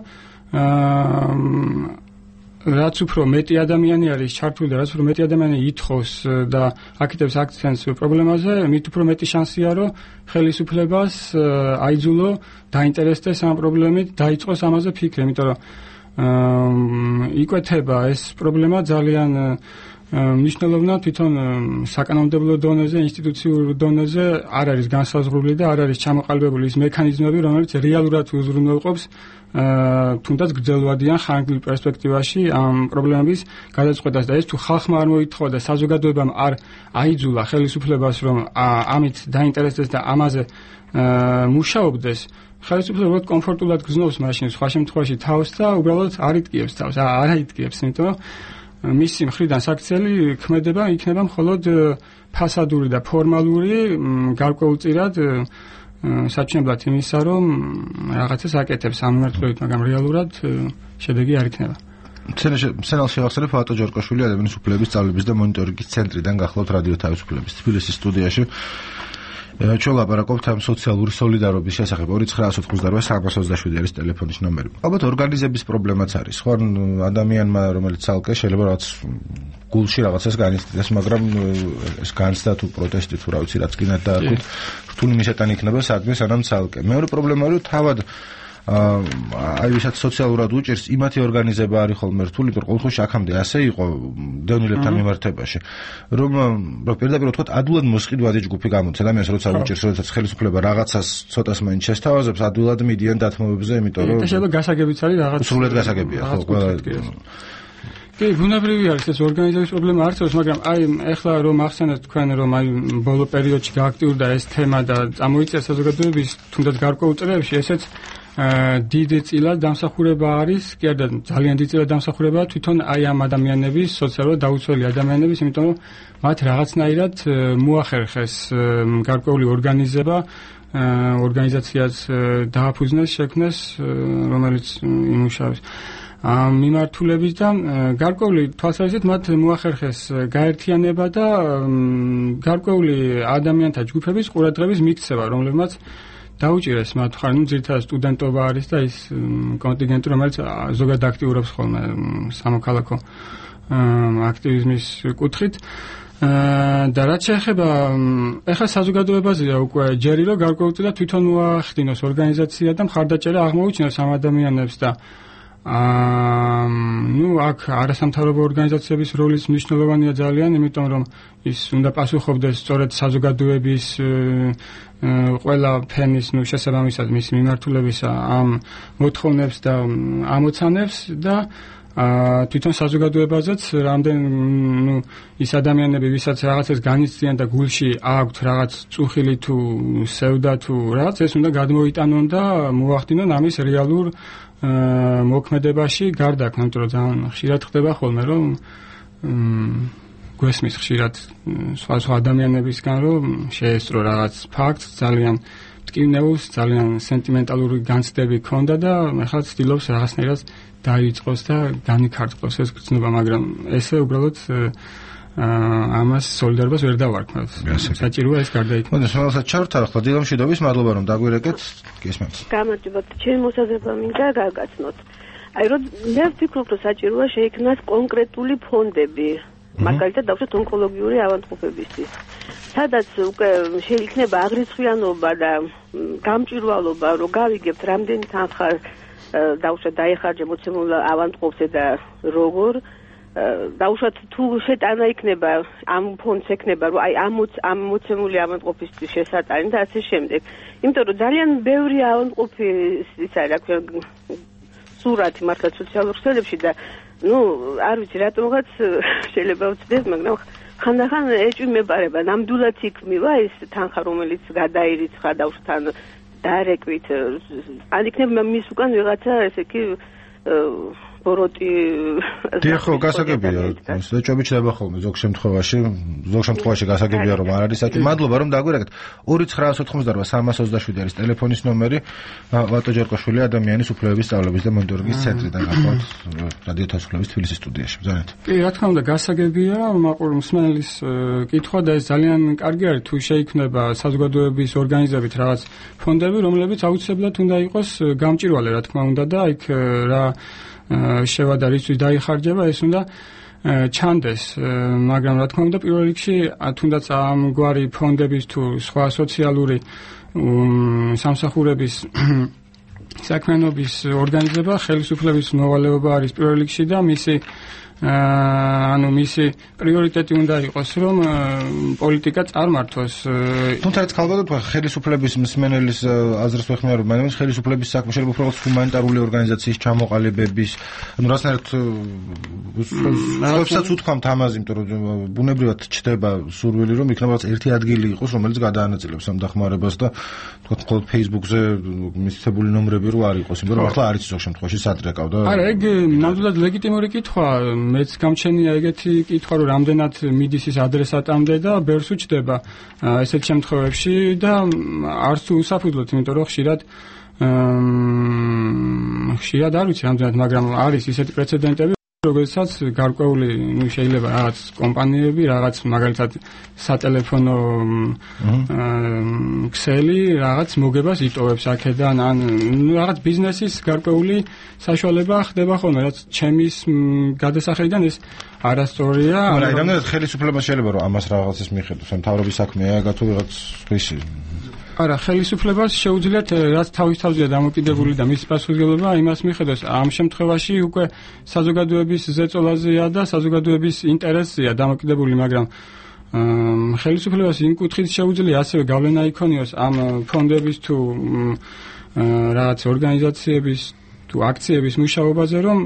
რაც უფრო მეტი ადამიანი არის ჩართული და რაც უფრო მეტი ადამიანი ითხოვს და აკეთებს აქცენტს პრობლემაზე, მით უფრო მეტი შანსია რომ ხელისუფლებას აიძულო დაინტერესდეს ამ პრობლემით, დაიწყოს ამაზე ფიქრი, იმიტომ რომ იკვეთება ეს პრობლემა ძალიან მნიშვნელოვნად თვითონ საკანონმდებლო დონეზე, ინსტიტუციურ დონეზე არ არის განსაზღვრული და არ არის ჩამოყალიბებული ის მექანიზმები, რომელიც რეალურად უზრუნველყოფს თუნდაც გრძელვადიან ხანგრძლივ პერსპექტივაში ამ პრობლემების გადაწყვეტას და ეს თუ ხალხმა არ მოითხოვა და საზოგადოებამ არ აიძულა ხელისუფლებას რომ ამით დაინტერესდეს და ამაზე მუშაობდეს, ხელისუფლება უბრალოდ კომფორტულად გრძნობს მაშინ სხვა შემთხვევაში თავს და უბრალოდ არ იტკიებს თავს, არ აიტკიებს, იმიტომ რომ მისი მხრიდან საქციელი ქმედება იქნება მხოლოდ ფასადური და ფორმალური, გარკვეულწილად საჩვენებლად იმისა, რომ რაღაცას აკეთებს ამ მიმართულებით, მაგრამ რეალურად შედეგი არ იქნება. სენალ შევახსენებ ფატო ჯორკაშვილი ადამიანის უფლებების სწავლების და მონიტორინგის ცენტრიდან გახლავთ რადიო თავისუფლების თბილისის სტუდიაში. ჩვენ ლაპარაკობთ ამ სოციალური სოლიდარობის შესახებ. ორი ცხრა ოცდაოთხ სამას ოცდაშვიდი არის ტელეფონის ნომერი. ალბათ ორგანიზების პრობლემაც არის. ხო, ადამიანმა, რომელიც ცალკე შეიძლება რაღაც გულში რაღაცას განიცდიდეს, მაგრამ ეს განცდა თუ პროტესტი თუ რა ვიცი რაც გინდა დაარქვით, რთული მისეტანი იქნება სადმე სანამ ცალკე. მეორე პრობლემა არის, რომ თავად აი ვისაც სოციალურად უჭირს იმათი ორგანიზება არის ხოლმე რთული, იმიტომ რომ ყოველთვის აქამდე ასე იყო დევნილებთან მიმართებაში, რომ პირდაპირ ვთქვათ, ადვილად მოსყიდვადი ჯგუფი გამოდის. ადამიანს როცა უჭირს, როდესაც ხელისუფლება რაღაცას ცოტას მაინც შესთავაზებს, ადვილად მიდიან დათმობებზე, იმიტომ რომ შეიძლება გასაგებიც არის რაღაც სრულად გასაგებია, ხო, კი, ბუნებრივი არის ეს ორგანიზების პრობლემა არც, მაგრამ აი ეხლა რომ ახსენეთ თქვენ რომ აი ბოლო პერიოდში გააქტიურდა ეს თემა და წამოიწია საზოგადოების თუნდაც გარკვეულ წრეებში, ესეც დიდი წილად დამსახურება არის, კი არა ძალიან დიდი წილად დამსახურებაა თვითონ აი ამ ადამიანების, სოციალურად დაუცველი ადამიანების, იმიტომ რომ მათ რაღაცნაირად მოახერხეს გარკვეული ორგანიზება, ორგანიზაციაც დააფუძნეს, შექმნეს, რომელიც იმუშავებს ამ მიმართულებით და გარკვეული თვალსაზრისით მათ მოახერხეს გაერთიანება და გარკვეული ადამიანთა ჯგუფების ყურადღების მიქცევა, რომლებმაც დაუჭირეს მათ ხარ, ნუ ძირითადად სტუდენტობა არის და ის კონტინგენტი, რომელიც ზოგადად აქტიურობს ხოლმე სამოქალაქო აქტივიზმის კუთხით. და რაც შეეხება ეხლა საზოგადოებაზეა უკვე ჯერი რომ გარკვეულწილად თვითონ მოახდინოს ორგანიზაცია და მხარდაჭერა აღმოუჩინოს ამ ადამიანებს და აა ნუ აქ არასამთავრობო ორგანიზაციების როლიც მნიშვნელოვანია ძალიან, იმიტომ რომ ის უნდა პასუხობდეს სწორედ საზოგადოების ყველა ფენის ნუ შესაბამისად მის მიმართულებისა ამ მოთხოვნებს და ამოცანებს და აა თვითონ საზოგადოებაზეც რამდენ ნუ ის ადამიანები ვისაც რაღაცას განიცდიან და გულში აქვთ რაღაც წუხილი თუ სევდა თუ რაღაც ეს უნდა გადმოიტანონ და მოახდინონ ამის რეალურ მოქმედებაში გარდაქმნა, იმიტომ რომ ძალიან ხშირად ხდება ხოლმე რომ გვესმის ხშირად სხვა სხვა ადამიანებისგან რომ შეესწრო რაღაც ფაქტს ძალიან მტკივნეულს, ძალიან სენტიმენტალური განცდები ჰქონდა და ახლა ცდილობს რაღაცნაირად დაიწყოს და განიქარტყოს ეს გრძნობა, მაგრამ ესე უბრალოდ ამას სოლიდარობას ვერ დავარქმევთ. საჭიროა ეს გარდაიქმნას. მოდი, რომელსაც ჩავთარ ახლა დილამშვიდობის, მადლობა რომ დაგვირეკეთ. გესმენთ. გამარჯობათ, ჩემი მოსაზრება მინდა გაგაცნოთ. აი რომ მე ვფიქრობ, რომ საჭიროა შეიქმნას კონკრეტული ფონდები, მაგალითად დავუშვათ ონკოლოგიური ავადმყოფებისთვის. სადაც უკვე შეიქმნება აღრიცხვიანობა და გამჭვირვალობა, რომ გავიგებთ რამდენი თანხა დავუშვათ დაიხარჯა მოცემულ ავადმყოფზე და როგორ დავუშვათ თუ შეტანა იქნება ამ ფონდს ექნება რომ აი ამ ამ მოცემული ავადმყოფისთვის შესატანი და ასე შემდეგ. იმიტომ რომ ძალიან ბევრი ავადმყოფი ის არის რა ქვია სურათი მართლა სოციალურ ქსელებში და ნუ არ ვიცი რატომღაც შეიძლება ვწდეს, მაგრამ ხანდახან ეჭვი მეპარება, ნამდვილად იქმნება ეს თანხა რომელიც გადაირიცხა დავუშვათ ან დარეკვით ან იქნება მის უკან ვიღაცა ესე იგი ბოროტი დიახ, გასაგებია, საჭობი ჩდება ხოლმე ზოგ შემთხვევაში, ზოგ შემთხვევაში გასაგებია რომ არ არის საჭი. მადლობა რომ დაგვირეკეთ. ორი ცხრაას ოთხმოცდაოთხ სამას ოცდაშვიდი არის ტელეფონის ნომერი. ვატო ჯერკოშვილი ადამიანის უფლებების სწავლების და მონიტორინგის ცენტრიდან გახლავთ რადიო თავისუფლების თბილისის სტუდიაში. ბრძანეთ. კი, რა თქმა უნდა, გასაგებია მაყურ მსმენელის კითხვა და ეს ძალიან კარგი არის თუ შეიქმნება საზოგადოების ორგანიზებით რაღაც ფონდები, რომლებიც აუცილებლად უნდა იყოს გამჭვირვალე, რა თქმა უნდა და იქ რა შევადა რისთვის დაიხარჯება ეს უნდა ჩანდეს, მაგრამ რა თქმა უნდა პირველ რიგში თუნდაც ამგვარი ფონდების თუ სხვა სოციალური სამსახურების საქმიანობის ორგანიზება ხელისუფლების მოვალეობა არის პირველ რიგში და მისი ანუ მისი პრიორიტეტი უნდა იყოს რომ პოლიტიკა წარმართოს. თუმცა ეს ხალხად ხელისუფლების მსმენელის აზრს ვეხმარებ, მაგრამ ხელისუფლების საქმე შეიძლება უბრალოდ ჰუმანიტარული ორგანიზაციის ჩამოყალიბების, ანუ რაღაცნაირად სხვაებსაც უთქვამთ ამაზე, იმიტომ რომ ბუნებრივად ჩდება სურვილი რომ იქნებაც ერთი ადგილი იყოს, რომელიც გადაანაწილებს ამ დახმარებას და თქვა მხოლოდ Facebook-ზე მისცემული ნომრები რო არ იყოს, იმიტომ რომ ახლა არის ზოგ შემთხვევაში სადრეკავდა. არა, ეგ ნამდვილად ლეგიტიმური კითხვა. მეც გამჩენია ეგეთი კითხვა, რომ რამდენად მიდის ის ადრესატამდე და ბერს უჩდება ესეთ შემთხვევებში და არც თუ უსაფუძვლოდ, იმიტომ რომ ხშირად ხშირად არ ვიცი რამდენად, მაგრამ არის ისეთი პრეცედენტები, როდესაც გარკვეული, ну, შეიძლება რაღაც კომპანიები, რაღაც მაგალითად სატელეფონო ქსელი რაღაც მოგებას იტოვებს აქედან, ან რაღაც ბიზნესის გარკვეული საშუალება ხდება ხოლმე, რაც ჩემის გადასახედიდან ეს არასწორია. მაგრამ რამდენად ხელისუფლება შეიძლება რომ ამას რაღაცის მიხედოს, ან მთავრობის საქმეა, გათო ვიღაც ხისი. არა, ხელისუფლებას შეუძლიათ რაც თავის თავზეა დამოკიდებული და მის პასუხისმგებლობა იმას მიხედოს. ამ შემთხვევაში უკვე საზოგადოების ზეწოლაზეა და საზოგადოების ინტერესზეა დამოკიდებული, მაგრამ ხელისუფლებას იმ კუთხით შეუძლია ასევე გავლენა იქონიოს ამ ფონდების თუ რაღაც ორგანიზაციების თუ თუ აქციების მუშაობაზე, რომ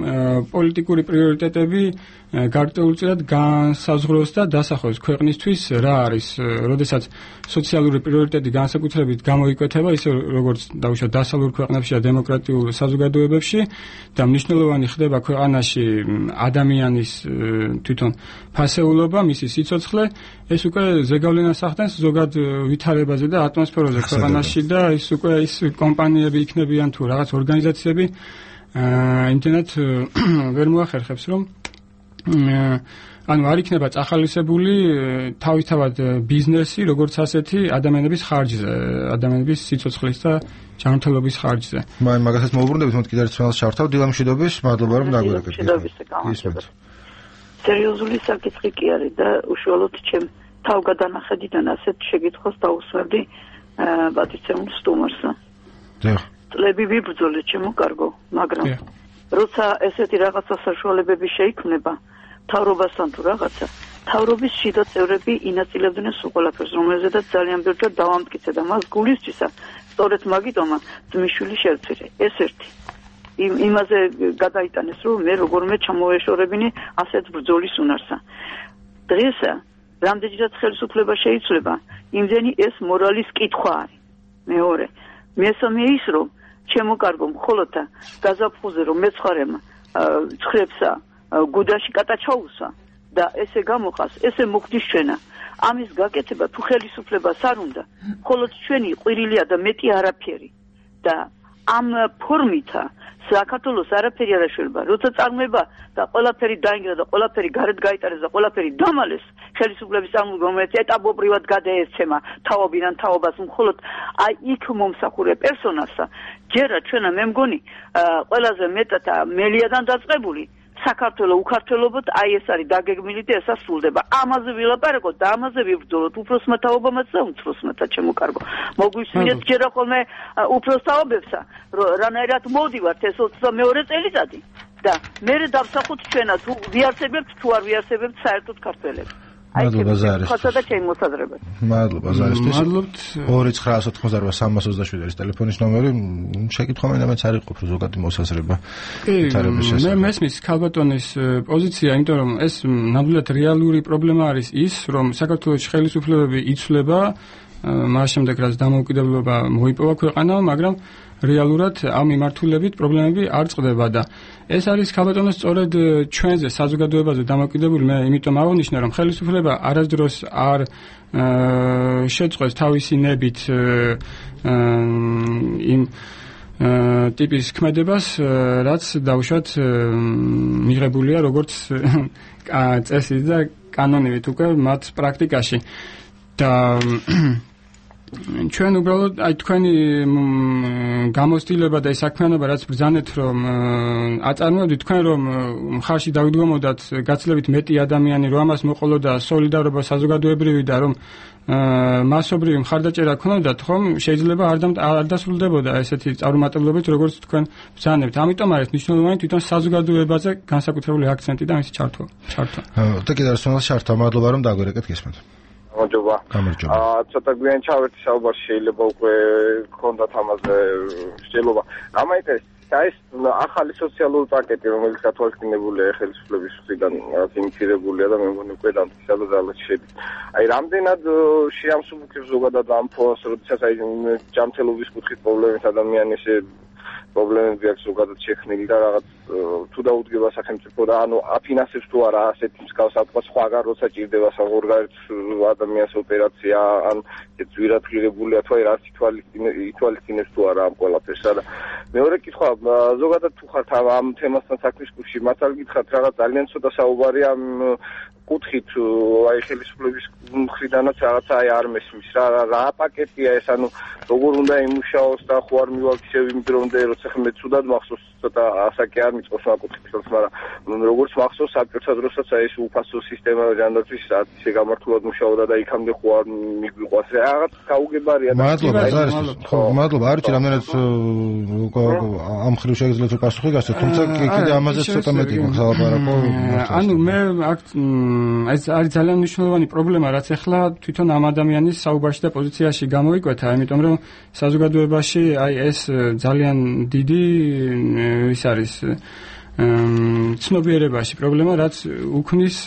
პოლიტიკური პრიორიტეტები გარკვეულწილად განსაზღვროს და დასახოს ქვეყნისთვის რა არის, როდესაც სოციალური პრიორიტეტი განსაკუთრებით გამოიკვეთება, ისე როგორც დაუშვათ დასავლურ ქვეყნებში და დემოკრატიულ საზოგადოებებში და მნიშვნელოვანი ხდება ქვეყანაში ადამიანის თვითონ ფასეულობა, მისი სიცოცხლე, ეს უკვე ზეგავლენას ახდენს ზოგად ვითარებაზე და ატმოსფეროზე ქვეყანაში და ის უკვე ის კომპანიები იქნებიან თუ რაღაც ორგანიზაციები იმდენად ვერ მოახერხებს, რომ ანუ არ იქნება წახალისებული თავისთავად ბიზნესი, როგორც ასეთი ადამიანების ხარჯზე, ადამიანების სიცოცხლის და ჯანმრთელობის ხარჯზე. მაინც მაგასაც მოუბრუნდებით, მოდი კიდევ ერთხელ შევთავ დილამ მშვიდობის, მადლობა რომ დაგვირეკეთ. სერიოზული საკითხი კი არის და უშუალოდ ჩემ თავგადანახედიდან ასეთ შეკითხვას დაუსვებდი პატიცემულ სტუმარს. დიახ. წლები ვიბრძოლე ჩემო კარგო, მაგრამ როცა ესეთი რაღაცა საშუალებები შეიქმნება თავრობასთან თუ რაღაცა, თავრობის შიდა წევრები ინაწილებდნენ სულ ყველაფერს, რომელზედაც ძალიან ბევრჯერ დავამტკიცე და მას გულისწვისა, სწორედ მაგიტომა ძმისშვილი შევწირე. ეს ერთი. იმ იმაზე გადაიტანეს, რომ მე როგორმე ჩამოეშორებინი ასეთ ბრძოლის უნარსა. დღესა რამდენჯერაც ხელისუფლება შეიცვლება, იმდენი ეს მორალის კითხვა არის. მეორე, მესამე ის, რომ ჩემო კარგო მხოლოდ გაზაფხულზე რომ მეცხარემ ცხრებსა გუდაში კატაჩაუსა და ესე გამოყას, ესე მოგდის ჩვენა. ამის გაკეთება თუ ხელისუფლებას არ უნდა, მხოლოდ ჩვენი ყვირილია და მეტი არაფერი. და ამ ფორმითა საქართველოს არაფერი არ აშველება. როცა წარმოება და ყველაფერი დაინგრა და ყველაფერი გარეთ გაიტარეს და ყველაფერი დამალეს, ხელისუფლების წარმომადგენლები რომელიც ეტაპობრივად გადაეცემა თაობიდან თაობას, მხოლოდ აი იქ მომსახურე პერსონაჟსა, ჯერა ჩვენა მე მგონი ყველაზე მეტად მელიადან დაწყებული საქართველოს უქართველობოთ აი ეს არის დაგეგმილი და ესა სრულდება. ამაზე ვილაპარაკოთ და ამაზე ვიბრძოლოთ უფროსმა თაობამაც და უმცროსმათა ჩემო კარგო. მოგვისმინეთ ჯერა ხოლმე უფროს თაობებსა, რანაირად მოვდივართ ეს ოცდამეორე წელიწადი და მე დავსახოთ ჩვენა თუ ვიარსებებთ თუ არ ვიარსებებთ საერთოდ ქართველებს. მადლობა ზარისთვის. ხოცა და ჩემი მოსაზრება. მადლობა ზარისთვის. მადლობთ. ორი ცხრა ოთხმოცდაოთხ სამას ოცდაშვიდი არის ტელეფონის ნომერი. შეკითხვა მინდა მეც არ იყოფ ზოგადი მოსაზრება. მე მესმის ქალბატონის პოზიცია, იმიტომ რომ ეს ნამდვილად რეალური პრობლემა არის ის, რომ საქართველოს ხელისუფლებები იცვლება, მას შემდეგ რაც დამოუკიდებლობა მოიპოვა ქვეყანამ, მაგრამ რეალურად ამ მიმართულებით პრობლემები არ წყდება და ეს არის ქალბატონოს სწორედ ჩვენზე საზოგადოებაზე დამოკიდებული. მე იმიტომ აღნიშნე, რომ ხელისუფლება არასდროს არ შეწყვეტს თავისი ნებით იმ ტიპის ქმედებას, რაც დაუშვათ მიღებულია როგორც წესით და კანონით უკვე მათ პრაქტიკაში და ჩვენ უბრალოდ აი თქვენი გამოცდილება და ეს საქმიანობა რაც ბრძანეთ რომ აწარმოებდით თქვენ რომ მხარში დავიდგომოდათ გაცილებით მეტი ადამიანი რომ ამას მოყოლოდა სოლიდარობა საზოგადოებრივი და რომ მასობრივი მხარდაჭერა ქონოდათ ხომ შეიძლება არ დასრულდებოდა ესეთი წარუმატებლობით როგორც თქვენ ბრძანებთ. ამიტომ არის მნიშვნელოვანი თვითონ საზოგადოებაზე განსაკუთრებული აქცენტი და მისი ჩართვა. ჩართვა. და კიდევ ერთხელ შართა მადლობა რომ დაგვერეკეთ გესმენთ. გამარჯობა. გამარჯობა. აა ცოტა გვიან ჩავერთი საუბარში შეიძლება უკვე გქონდათ ამაზე შეძლება. გამაინტერესებს ეს ახალი სოციალური პაკეტი რომელიც გათვალისწინებულია ხელისუფლების მხრიდან ინიციირებულია და მე მგონი უკვე დამტკიცებულად შედის. აი რამდენად შეამსუბუქებს ზოგადად ამ ფონს, როდესაც აი ჯანმრთელობის კუთხით პრობლემის ადამიანის პრობლემები აქვს ზოგადად შექმნილი და რაღაც თუ დაუდგება სახელმწიფო და ანუ აფინანსებს თუ არა ასეთ მსგავს ათქვა სხვაგან როცა ჭირდება საზღვარგარეთ ადამიანის ოპერაცია ან ძვირადღირებულია თუ აი რაც ითვალისწინებს თუ არა ამ ყველაფერსა და მეორე კითხვა ზოგადად თუ ხართ ამ თემასთან საქმის კუთხში მართალ გითხრათ რაღაც ძალიან ცოტა საუბარი ამ კუთხით აი ხელისუფლების მხრიდანაც რაღაცა აი არ მესმის რა რა პაკეტია ეს ანუ როგორ უნდა იმუშაოს და ხო არ მივაქცევ იმ დრომდე როცა მე ცუდად მახსოვს ცოტა ასაკი არ მიწყოს საკუთხითაც მაგრამ როგორც მახსოვს საკუთარ დროსაც აი ეს უფასო სისტემა ჯანდაცვის ისე გამართულად მუშაობდა და იქამდე ხო არ მიგვიყვას რაღაც გაუგებარია და მადლობა ხო მადლობა არ ვიცი რამდენად ამ ხრივ შეგიძლიათ პასუხი გასცეთ თუმცა კიდე ამაზე ცოტა მეტი გვაქვს ლაპარაკო ანუ მე აქ ეს არის ძალიან მნიშვნელოვანი პრობლემა რაც ახლა თვითონ ამ ადამიანის საუბარში და პოზიციაში გამოიკვეთა იმიტომ რომ საზოგადოებაში აი ეს ძალიან დიდი ის არის ცნობიერებაში პრობლემა, რაც უქმნის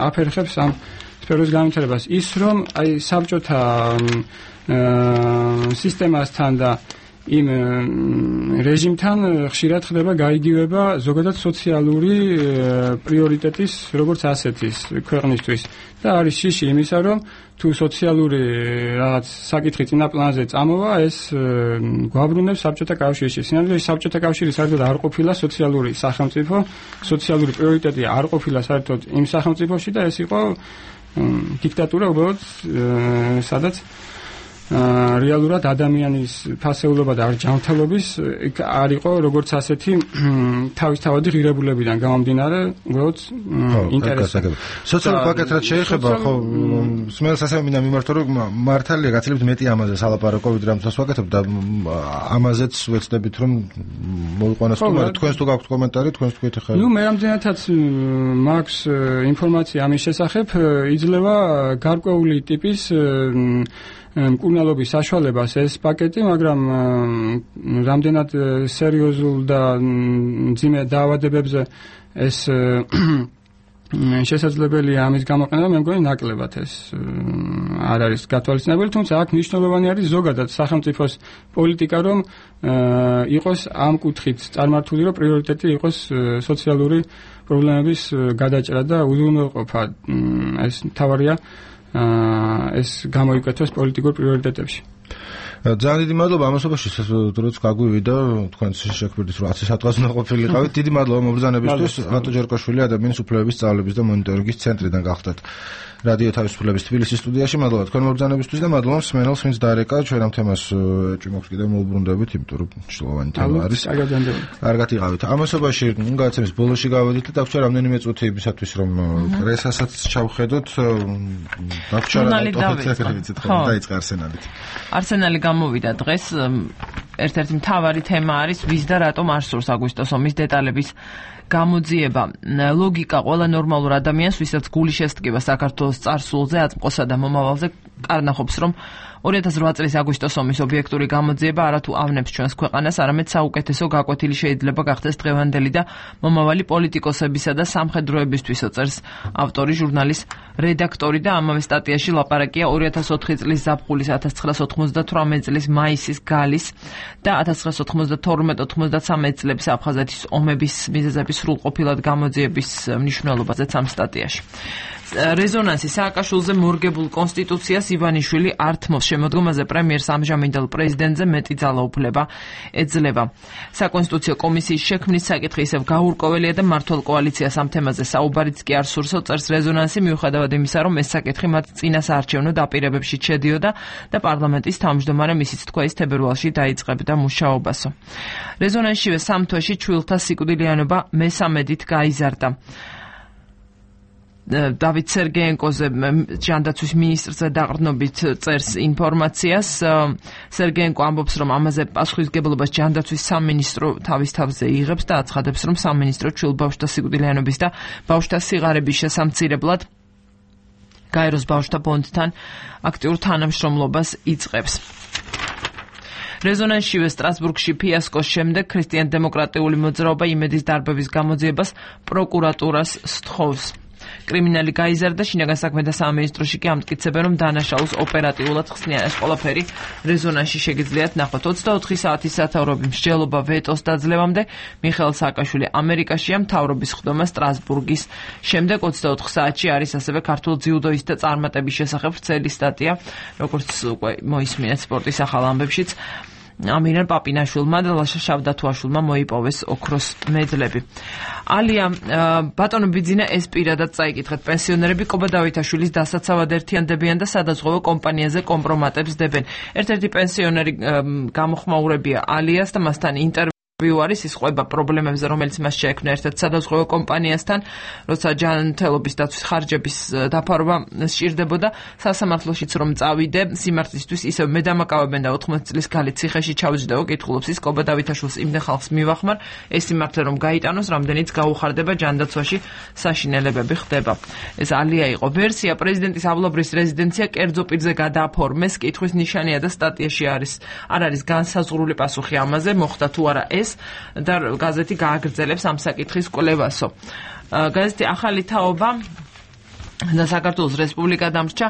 აფერხებს ამ სფეროს განვითარებას. ის რომ აი საბჭოთა სისტემასთან და იმ რეჟიმთან ხშირად ხდება გაიგივება ზოგადად სოციალური პრიორიტეტის როგორც ასეთის ქვეყნისთვის და არის შიში იმისა, რომ თუ სოციალური რაღაც საკითხი წინა პლანზე წამოვა, ეს გვაბრუნებს საბჭოთა კავშირში. სინამდვილეში საბჭოთა კავშირი საერთოდ არ ყოფილა სოციალური სახელმწიფო, სოციალური პრიორიტეტი არ ყოფილა საერთოდ იმ სახელმწიფოში და ეს იყო დიქტატურა უბრალოდ, სადაც რეალურად ადამიანის ფასეულობა და არჯანმრთელობის არ იყო როგორც ასეთი თავისთავადი ღირებულებიდან გამომდინარე, უბრალოდ ინტერესი. სოციალური პაკეტი რაც შეეხება, ხო, სმელს ასე მინდა მიმართო, რომ მართალია გაცილებით მეტი ამაზე სალაპარაკო, ვიდრე ამ დროს ვაკეთებ და ამაზეც ვეცდებით, რომ მოვიყვანოს თუმცა თქვენს თუ გაქვთ კომენტარი, თქვენს თქვით ახლა. ნუ მე ამდენადაც მაქვს ინფორმაცია ამის შესახებ, იძლევა გარკვეული ტიპის მკურნალობის საშუალებას ეს პაკეტი, მაგრამ რამდენად სერიოზულ და მძიმე დაავადებებზე ეს შესაძლებელია ამის გამოყენება, მე მგონი ნაკლებად ეს არ არის გათვალისწინებელი, თუმცა აქ მნიშვნელოვანი არის ზოგადად სახელმწიფოს პოლიტიკა, რომ იყოს ამ კუთხით წარმართული, რომ პრიორიტეტი იყოს სოციალური პრობლემების გადაჭრა და უზრუნველყოფა. ეს მთავარია ეს გამოიკეთოს პოლიტიკურ პრიორიტეტებში. ძალიან დიდი მადლობა ამასობაში, როც გაგვივიდა თქვენს შექმნით რომ ათი საათს უნდა ყოფილიყავით. დიდი მადლობა მობრძანებისთვის. რატო ჯერკაშვილი ადამიანის უფლებების სწავლების და მონიტორინგის ცენტრიდან გახდათ რადიო თავისუფლების თბილისის სტუდიაში. მადლობა თქვენ მობრძანებისთვის და მადლობა მსმენელს, ვინც დაარეკა ჩვენ ამ თემას ჭიმოქს კიდევ მოუბრუნდებით, იმიტომ რომ მნიშვნელოვანი თემა არის. კარგად იყავით. ამასობაში გადაცემის ბოლოში გავედით და დაგვჭირდა რამდენიმე წუთი იმისათვის რომ პრესასაც ჩავხედოთ. დაგვჭირდა დაიწყე არსენალით. არსენალი გამოვიდა დღეს. ერთ-ერთი მთავარი თემა არის ვის და რატომ არ სურს აგვისტოს ომის დეტალების გამოძიება. ლოგიკა ყველა ნორმალურ ადამიანს, ვისაც გული შესტკივა საქართველოს წარსულზე, აწმყოსა და მომავალზე, კარნახობს, რომ ორი ათას ოთხ წლის აგვისტოს ომის ობიექტური გამოძიება არათუ ავნებს ჩვენს ქვეყანას, არამედ საუკეთესო გაკვეთილი შეიძლება გახდეს დღევანდელი და მომავალი პოლიტიკოსებისა და სამხედროებისთვისო, წერს ავტორი, ჟურნალის რედაქტორი და ამავე სტატიაში ლაპარაკია ორი ათას ოთხი წლის ზაფხულის, ათას ცხრაასი ოცდათვრამეტი წლის მაისის, გალის და ათას ცხრაასი ოცდათორმეტი ოცდათმეტი წლების აფხაზეთის ომების მიზეზების სრულყოფილად გამოძიების მნიშვნელობაზეც ამ სტატიაში. რეზონანსი სააკაშვილზე მორგებულ კონსტიტუციას ივანიშვილი არ თმობს. შემოდგომაზე პრემიერს ამჟამინდელ პრეზიდენტზე მეტი ძალაუფლება ეძლევა. საკონსტიტუციო კომისიის შექმნის საკითხი ისევ გაურკვეველია და მმართველ კოალიციას ამ თემაზე საუბარიც კი არ სურსო, წერს რეზონანსი, მიუხედავად იმისა, რომ ეს საკითხი მათ წინასაარჩევნო დაპირებებში ჩედიოდა და პარლამენტის თავმჯდომარემ ისიც თქვა ის თებერვალში დაიწყებდა მუშაობასო. რეზონანსშივე სამ თვეში ჩვილთა სიკვდილიანობა მესამედით გაიზარდა. დავით სერგეენკოზე ჯანდაცვის მინისტრზე დაყრდნობით წერს ინფორმაციას. სერგეენკო ამბობს, რომ ამაზე პასუხისმგებლობას ჯანდაცვის სამინისტრო თავის თავზე იღებს და აცხადებს, რომ სამინისტრო ჩვილ ბავშვთა სიკვდილიანობის და ბავშვთა სიღარიბის შესამცირებლად გაეროს ბავშვთა ფონდთან აქტიურ თანამშრომლობას იწყებს. რეზონანსშივე სტრასბურგში ფიასკოს შემდეგ ქრისტიან-დემოკრატიული მოძრაობა იმედის დარბევის გამოძიებას პროკურატურას სთხოვს. კრიმინალი გაიზარდა, შინაგან საქმეთა სამინისტროში კი ამტკიცებენ, რომ დანაშაულს ოპერატიულად ხსნიან. ეს ყველაფერი რეზონანსში შეგიძლიათ ნახოთ. ოცდაოთხი საათის სათაურები მსჯელობა ვეტოს დაძლევამდე მიხეილ სააკაშვილი ამერიკაშია, მთავრობის ხდომა სტრასბურგის შემდეგ ოცდაოთხ საათში არის ასევე ქართულ ძიუდოისტთა წარმატების შესახებ ვრცელი სტატია, როგორც უკვე მოისმინეთ სპორტის ახალ ამბებშიც. ამირან პაპინაშვილმა და ლაშა შავდათუაშვილმა მოიპოვეს ოქროს მედლები. ალია ბატონო ბიძინა ეს პირადად წაიკითხეთ. პენსიონერები კობა დავითაშვილის დასაცავად ერთიანდებიან და სადაზღვევო კომპანიაზე კომპრომატებს დებენ. ერთ-ერთი პენსიონერი გამოხმაურებია ალიას და მასთან ინტერვიუ არის, ის ყვება პრობლემებზე, რომელიც მას შეექმნა ერთ-ერთ სადაზღვევო კომპანიასთან, როცა ჯანმრთელობის დაცვის ხარჯების დაფარვა სჭირდებოდა. სასამართლოშიც რომ წავიდე სიმართლისთვის, ისევ მე დამაკავებენ და ოთხმოცი წლის გალით ციხეში ჩავჯდეო, კითხულობს ის კობა დავითაშვილს იმდენ ხალხს მივახმარ, ეს სიმართლე რომ გაიტანოს, რამდენიც გაუხარდება ჯანდაცვაში საშინელებები ხდება. ეს ალია იყო ვერსია. პრეზიდენტის ავლაბრის რეზიდენცია კერძო პირზე გადააფორმეს, კითხვის ნიშანია და სტატიაში არის არ არის განსაზღვრული პასუხი ამაზე, მოხდა თუ არა ეს. და გაზეთი გააგრძელებს ამ საკითხის კვლევასო. გაზეთი ახალი თაობა და საქართველოს რესპუბლიკა დამრჩა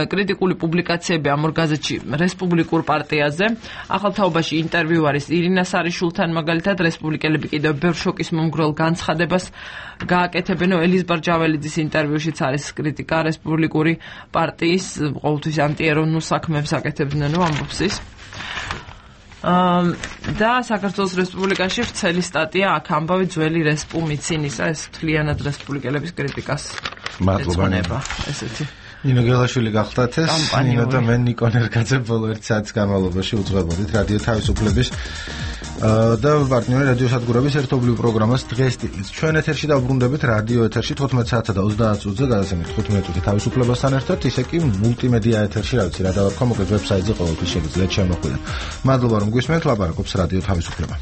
კრიტიკული პუბლიკაციები ამ ორ გაზეთში რესპუბლიკურ პარტიაზე. ახალ თაობაში ინტერვიუ არის ირინა სარიშულთან, მაგალითად რესპუბლიკელები კიდევ ბევრ შოკის მომგვრელ განცხადებას გააკეთებენ. ელიზბარ ჯაველიძის ინტერვიუშიც არის კრიტიკა რესპუბლიკური პარტიის ყოველთვის ანტიეროვნულ საქმეებს აკეთებდნენ, ამბობს ის. და საქართველოს რესპუბლიკაში ვრცელი სტატია აქ ამბავი ძველი რესპუ მიცინისა, ეს მთლიანად რესპუბლიკელების კრიტიკას ეძღვნება ესეთი. ნინო გელაშვილი გახდათ ეს, ნინო და მე ნიკონ ერგაძე ბოლო ერთ საათის განმავლობაში უძღვებოდით რადიო თავისუფლების და პარტნიორი რადიო სადგურების ერთობლივ პროგრამას დღეს ტიპის. ჩვენ ეთერში დავბრუნდებით რადიო ეთერში თოთხმეტ საათსა და ოცდაათ წუთზე გადაცემით თხუთმეტ წუთი თავისუფლებასთან ერთად, ისე კი მულტიმედია ეთერში, რა ვიცი, რა დავარქვა, მოკლედ ვებსაიტზე ყოველთვის შეგიძლიათ შემოხვიდეთ. მადლობა რომ გვისმენთ, ლაპარაკობს რადიო თავისუფლება.